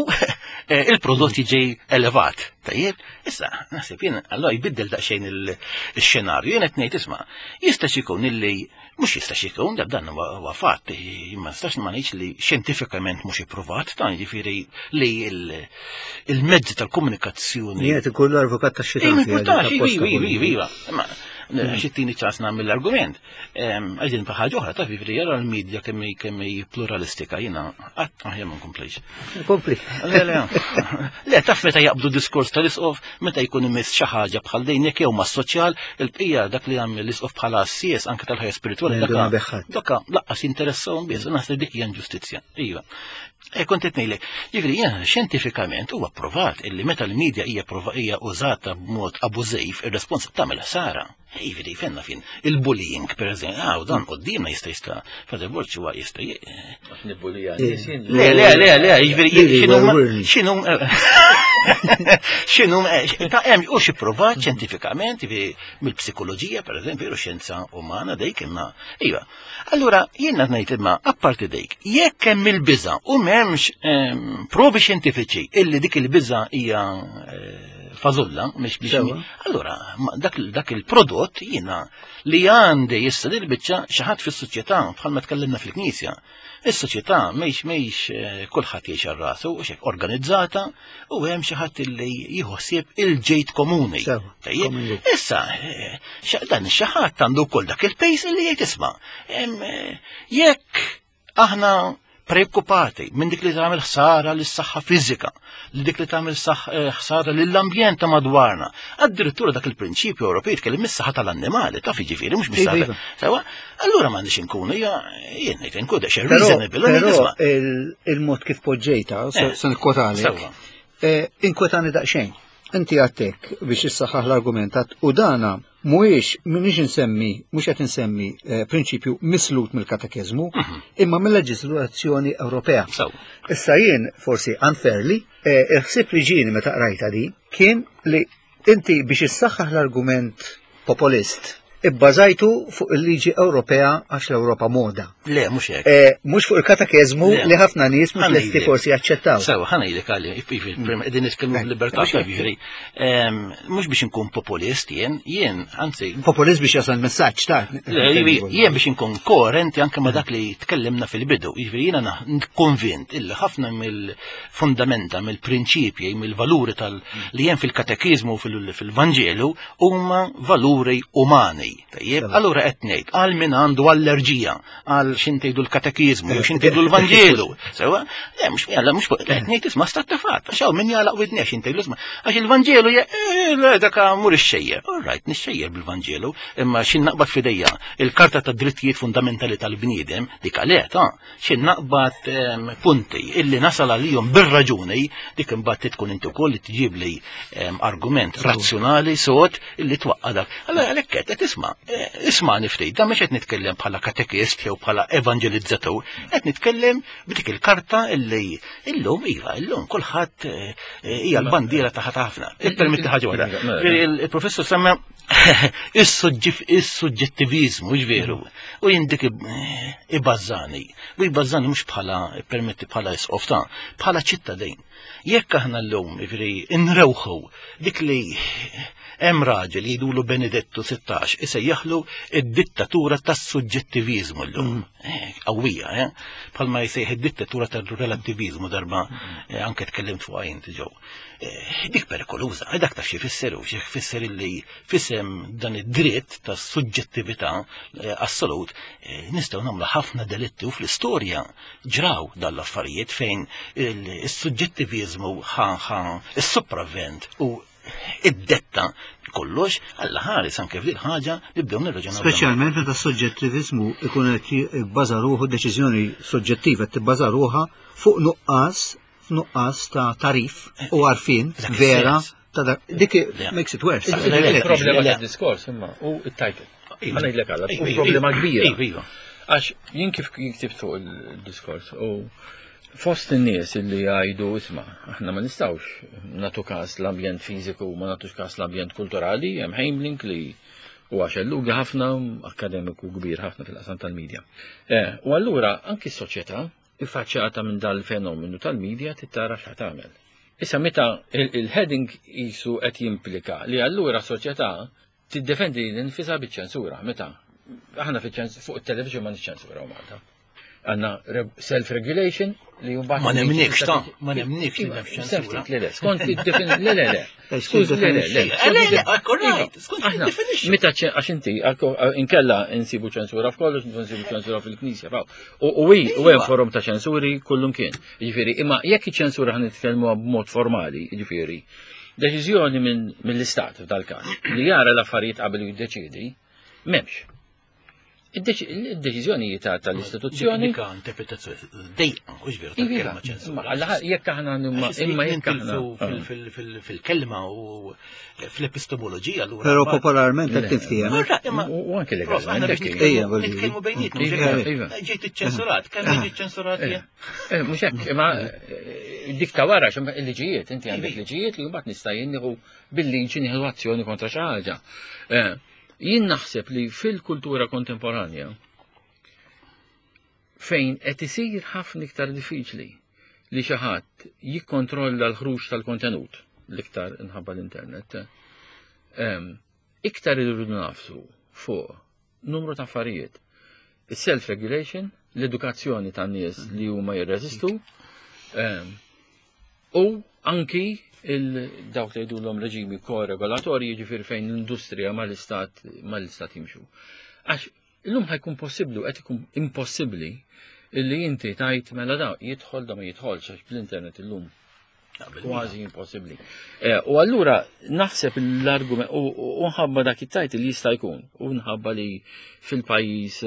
eh, il-prodott jiġi elevat. Tajjeb, issa naħseb jien allura jbiddel daqsxejn il-xenarju, jien qed ngħid isma' jista' jkun illi Mhux jistax ikun, dan huwa fatt, ma nistax ma ngħidx li xjentifikament mhux ippruvat, dan jiġifieri li il-mezzi tal-komunikazzjoni. Jien qed ikun l-avukat tax-xitan. Iva, iva, iva. Xittini ċans nagħmel l-argument. Għaġin ħaġa oħra, taf jiġifieri jara l-medja kemm kemm hi pluralistika jiena qatt aħjar ma nkomplix. Kompli. Le, le. Le, taf meta jaqbdu diskors tal-isqof, meta jkun imiss xi ħaġa bħal din jekk jew mas-soċjal, il-bqija dak li jagħmel l-isqof bħala assies anke tal-ħajja spiritwali dak dak laqqas jinteressahom biss, naħseb dik hija inġustizzja. Iva. E kont qed ngħidlek, jiġifieri jiena xjentifikament huwa pprovat illi meta l-medja hija hija użata b'mod abużiv, ir-respons tagħmel ħsara. Jiġifieri fenna fin il-bullying pereżempju, ah, dan qudiemna jista' jista' Father Borg huwa jista' Nibbulija Le, le, le, le, jiġifieri x'inhu x'inhu ta' hemm u xi provat xjentifikament mill-psikoloġija pereżempju, xjenza umana dik imma iva. Allura, jiena ngħid imma apparti dik, jekk hemm il-biża' u m'hemmx ehm, provi xjentifiċi illi dik il-biża' hija eh, fażulla, mhix biex. Allura, dak, dak il-prodott jiena li għandi issa li l-biċċa xi ħadd fis-soċjetà bħalma tkellimna fil-Knisja. Is-soċjetà mhix mhix eh, kulħadd jgħix għal rasu u xek organizzata u hemm xi ħadd li jieħu ħsieb il-ġejt komuni. Issa, eh, dan xi ħadd għandu wkoll dak il-pejs li jgħid isma' eh, jekk aħna preokkupati minn dik li tagħmel ħsara lis saħħa fiżika, li dik li tagħmel eh, ħsara lill-ambjent ta' madwarna. Addirittura dak il-prinċipju Ewropej jitkellem mis-saħħa tal-annimali, taf jiġifieri mhux mis-saħħa. Iva, iva. Sewa, allura m'għandix inkunu hija jien ngħid inkun daqsxejn reasonable. Però il-mod kif poġġejta, eh, se nikkwotalek, eh, inkwetani daqsxejn. Inti għattek biex issaħħaħ l-argument u dana mhuwiex m'iniex insemmi, mhux qed insemmi eh, prinċipju mislut mill-katekeżmu, mhm. imma mill-leġiżlazzjoni Ewropea. Issa jien forsi unfairly, eh, il-ħsieb li ġieni meta qrajta di kien li inti biex issaħħaħ l-argument populist ibbażajtu fuq il-liġi Ewropea għax l-Ewropa moda. Le, mhux hekk. Eh, mhux fuq il-katekeżmu li ħafna nies mhux lesti forsi jaċċettaw. Sewa, ħa ngħidlek għalli, qegħdin nitkellmu b'libertà jiġifieri. Mhux biex inkun populist jien, jien, anzi. Populist biex jasal messaġġ ta' Jien biex inkun koerenti anke ma' dak li tkellimna fil-bidu. Jiġifieri jiena konvint illi ħafna mill-fundamenta, mill-prinċipji, mill-valuri tal li hemm fil-katekiżmu fil-Vanġelu huma valuri umani. Tajjeb, allura qed ngħid għal min għandu allerġija għal x'intejdu l-katekiżmu jew x'intejdu l-Vanġelu. Sewa, le mhux jalla mhux qed ngħid isma' stat ta' fatt, għax hawn min jagħlaq widneh x'intejdu isma' għax il-Vanġelu eh, dak mur ixxejjer. All right, nixxejjer bil-Vanġelu, imma x'in naqbad f'idejja il-Karta tad Drittijiet Fundamentali tal-Bniedem dik għalih ta' Xi naqbad ehm, punti illi nasal għalihom bir-raġuni dik imbagħad tkun inti wkoll li tġib li ehm, argument razzjonali sod illi twaqqa dak. Allora għalhekk qed qed isma' eh, isma' ftit, dan mhux qed nitkellem bħala katekist jew bħala evanġelizzatur, qed nitkellem b'dik il-karta illi illum iva, illum kulħadd eh, hija l-bandiera ta' ħafna. Ippermetti ħaġa waħda. Mela. Il-professur semma Is-suġġettivizmu, veru, u jien dik ibażżani. U jbażżani mhux bħala permetti bħala isqof ta' bħala ċittadin. Jekk aħna llum jiġifieri nrewħu dik li hemm raġel jgħidulu Benedettu 16 isejjaħlu id-dittatura tas-suġġettivizmu llum. Mm. Eh, qawwija, eh? Bħalma jsejjaħ id-dittatura tar-relattivizmu darba mm. eh, anke tkellimt fuqha inti ġew. Eh, dik perikoluża, eh, dak taf xi fisser u xi fisser illi fisem dan id-dritt ta' suġġettività eh, assolut nistgħu nagħmlu ħafna delitti u fl-istorja ġraw dan l-affarijiet fejn is-suġġettiviżmu ħa ħa is-sopravvent u id-detta kollox għalla ħares anke f'din ħaġa nibdew nirraġunaw. Speċjalment meta s-suġġettiviżmu ikun qed jibbaża ruħu deċiżjoni soġġettiva tibbaża ruħha fuq nuqqas f'nuqqas ta' tarif u għarfien vera ta' dak. Dik makes it worse. Il-problema ta' diskors imma u it-title. Ħa ngħidlek għala, u problema kbira. Iva, iva. Għax jien kif ktibt fuq il-diskors u fost in-nies illi jgħidu isma' aħna ma nistgħux nagħtu każ l-ambjent fiżiku ma nagħtux każ l-ambjent kulturali, hemm Heimlink li huwa xellugi ħafna, akademiku kbir ħafna fil-qasam tal-medja. Eh, u allura anki s-soċjetà iffaċċjata minn dal-fenomenu tal-media trid tara x'ħa tagħmel. Issa meta il-heading qisu qed jimplika li allura soċjetà tiddefendi lil nfisha biċ-ċensura, meta aħna fuq it-television ma niċċensuraw Malta. Għandna self-regulation li jumbat. Ma nemnikx ta' ma nemnikx li hemm ċensura. Le, le, skont id-definizzjoni. Le, le, le. Skuż, le, le, le. Le, le, korrekt, skont id-definition. Meta għax inti, inkella insibu ċensura f'kollox, insibu ċensura fil-knisja, u hi, u hemm forum ta' ċensuri kullum kien. Jiġifieri, imma jekk iċ-ċensura ħan nitkellmu b'mod formali, jiġifieri, deċiżjoni mill-istat f'dal-każ li jara l-affarijiet qabel jiddeċiedi, m'hemmx. Id-deċiżjoni tal-istituzzjoni. Dika interpretazzjoni dejqa, u veru tal-kelma ċensura. Jekk aħna imma jekk aħna fil-kelma u fl-epistemoloġija allura. Però popolarment qed tiftiehem. U anke legalment. Nitkellmu bejnietna. Ġejt iċċensurat, kemm ġejt iċċensurat jien? Mhux hekk, imma dik ta' wara il-liġijiet, inti għandek liġijiet li mbagħad nista' jien nieħu bil-liġi nieħu azzjoni kontra xi ħaġa. Jien naħseb li fil-kultura kontemporanja fejn qed isir ħafna iktar diffiċli li xi ħadd jikkontrolla l-ħruġ tal-kontenut l-iktar inħabba l-internet, iktar irridu nafsu fuq numru ta' affarijiet. Is-self-regulation, l-edukazzjoni tan nies li huma jirreżistu, u anki il-dawk li jgħidulhom reġimi koregolatorji, jiġifieri fejn l-industrija mal-istat mal-istat jimxu. Għax illum ħajkun possibbli u qed ikun impossibbli illi inti tajt mela da jidħol da ma jidħolx għax bl-internet illum kważi impossibbli. U allura naħseb l-argument u nħabba dak it-tajt li jista' jkun u nħabba li fil-pajjiż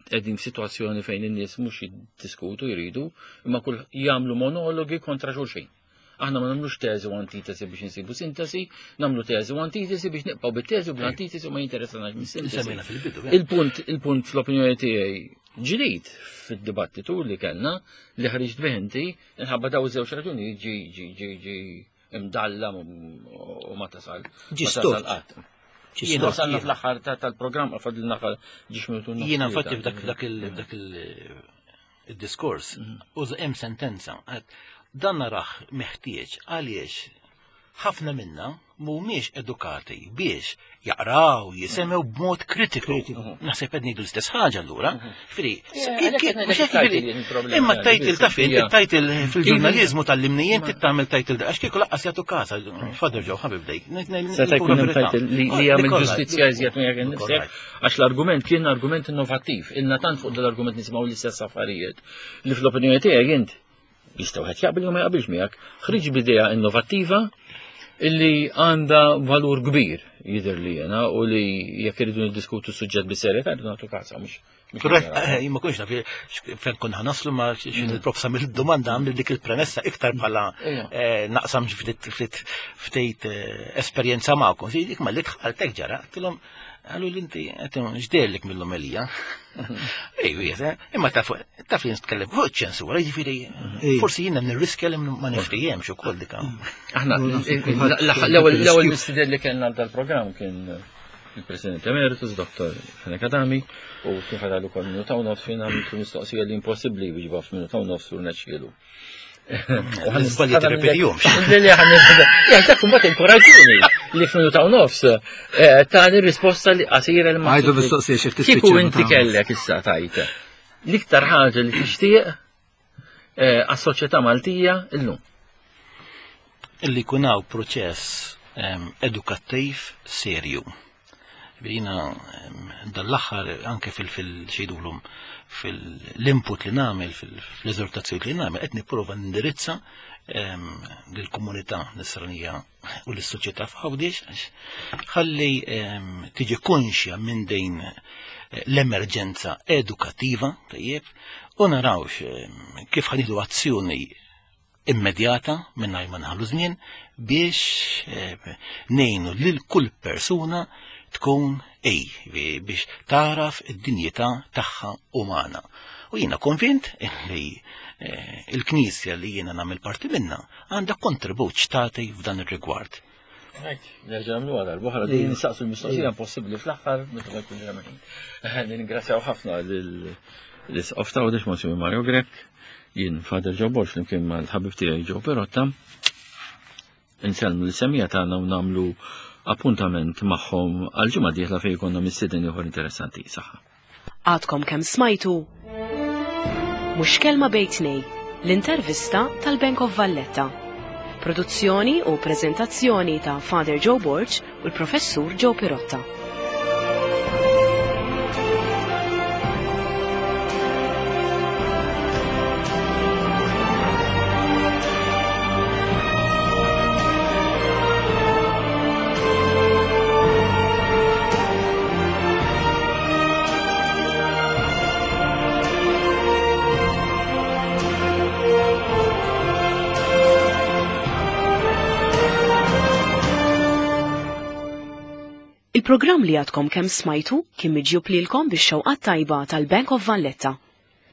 qegħdin f'sitwazzjoni fejn in-nies mhux jiddiskutu jridu, imma kull jagħmlu monologi kontra xulxin. Aħna ma nagħmlux teżi u antitesi biex insibu sintesi, nagħmlu teżi u antitesi biex nibqgħu bit-teżi u bl-antitesi u ma jinteressanax mis-sintesi. Semmejna fil-bidu. Il-punt il-punt fl-opinjoni tiegħi ġdid fid-dibattitu li kellna li ħriġt bih inti inħabba daw iż-żewġ raġuni ġi ġi ġi ġi imdalla u ma tasal. Ġi ma tasal stort. qatt. Jiena wasalna fl-aħħar tal-programm fadlilna ġiex minutu. Jiena infatti f'dak dak il dak il-diskors uża hemm sentenza għad dan narah meħtieġ għaliex ħafna minna mhumiex edukati biex jaqraw, jisemgħu b'mod kritiku. Naħseb qed ngħidu l-istess ħaġa allura. Firi, għalhekk qed ngħidlek mhux hekk it-title jiġifieri, jien il-problema Imma għandi t-title biss, ta' fin, hija- it-title fil-ġurnaliżmu tal-limnijien tittamel title għax kieku laqqas jagħtu kasa, Father Joe ħabib dejk. Seta' jkun hemm title li li jagħmel ġustizzja iżjed minn jekk innifsek, għax l-argument kien argument innovattiv. Ilna tant fuq dal-argument nisimgħu l-istess affarijiet li fl-opinjoni tiegħek int jista' wieħed jaqbel jew ma jaqbilx miegħek, ħriġ b'idea innovattiva illi għandha valur kbir jidher li jena u li jekk irridu niddiskutu s-suġġett bis-serjetà rridu nagħtu kasa mhux. Korrett, jien ma kunx naf fejn konna naslu ma xin il-prof samil domanda għamil dik il-premessa iktar bħala naqsam ftit ftit esperjenza magħkom. Dik ma li dħaltek ġara, għedtilhom għalu li inti għedtilhom x'dehirlek mill-omelija. Ej, imma taf taf li nitkellem fuq ċensura, jiġifieri forsi jiena nirriskja li ma niftihemx ukoll dik. Aħna l-ewwel mistieden li kellna dal-programm kien il-President Emeritus, Dr. Fenech Adami, u kien fadal ukoll minuta u nofs fejn għamiltu mistoqsija li impossibbli wieġba f'minuta u nofs u rnexxielu. L-iżbalji tirrepetihomx. Ja, dak imbagħad inkoraġġuni li f'minuta u nofs tani risposta li qasira li ma. Għajdu mistoqsija xi ftit Kieku inti kellek issa tajt. L-iktar ħaġa li tixtieq għas-soċjetà Maltija illum. Illi jkun hawn proċess edukattiv serju. Jiena dal-aħħar anke fil-xejdulhom fil-input li nagħmel, fil-eżortazzjoni li nagħmel, qed nipprova nindirizza lill-komunità nisranija u lis-soċjetà f'Għawdex ħalli tiġi konxja minn din l-emerġenza edukattiva, tajjeb, u narawx kif ħanidu azzjoni immedjata mingħajr ma naħlu żmien biex ngħinu lil kull persuna tkun ej biex taraf id-dinjità tagħha umana. U jiena konvint li il-Knisja li jiena nagħmel parti minna għandha kontribut x'tagħti f'dan ir-rigward. Nerġa' nagħmlu għal darba din nistaqsu l-mistoqsija impossibbli fl-aħħar meta ma jkunx hemm ħin. Ningrazzjaw ħafna lill-Isqof ta' Għawdex Monsignor Mario Grech, jien Father Joe Borg flimkien mal-ħabib tiegħi Joe Perotta. Insellmu lis-semija tagħna u nagħmlu appuntament magħhom għal ġimgħa dieħla fejn jkollna mistieden ieħor interessanti. Saħħa. Għadkom kemm smajtu Mhux Kelma Bejn Tnejn, l-intervista tal-Bank of Valletta. Produzzjoni u preżentazzjoni ta' Father Joe Borg u l-Professur Joe Pirotta. Il-programm li għadkom kemm smajtu kien miġjub lilkom bix-xewqat tajba tal-Bank of Valletta.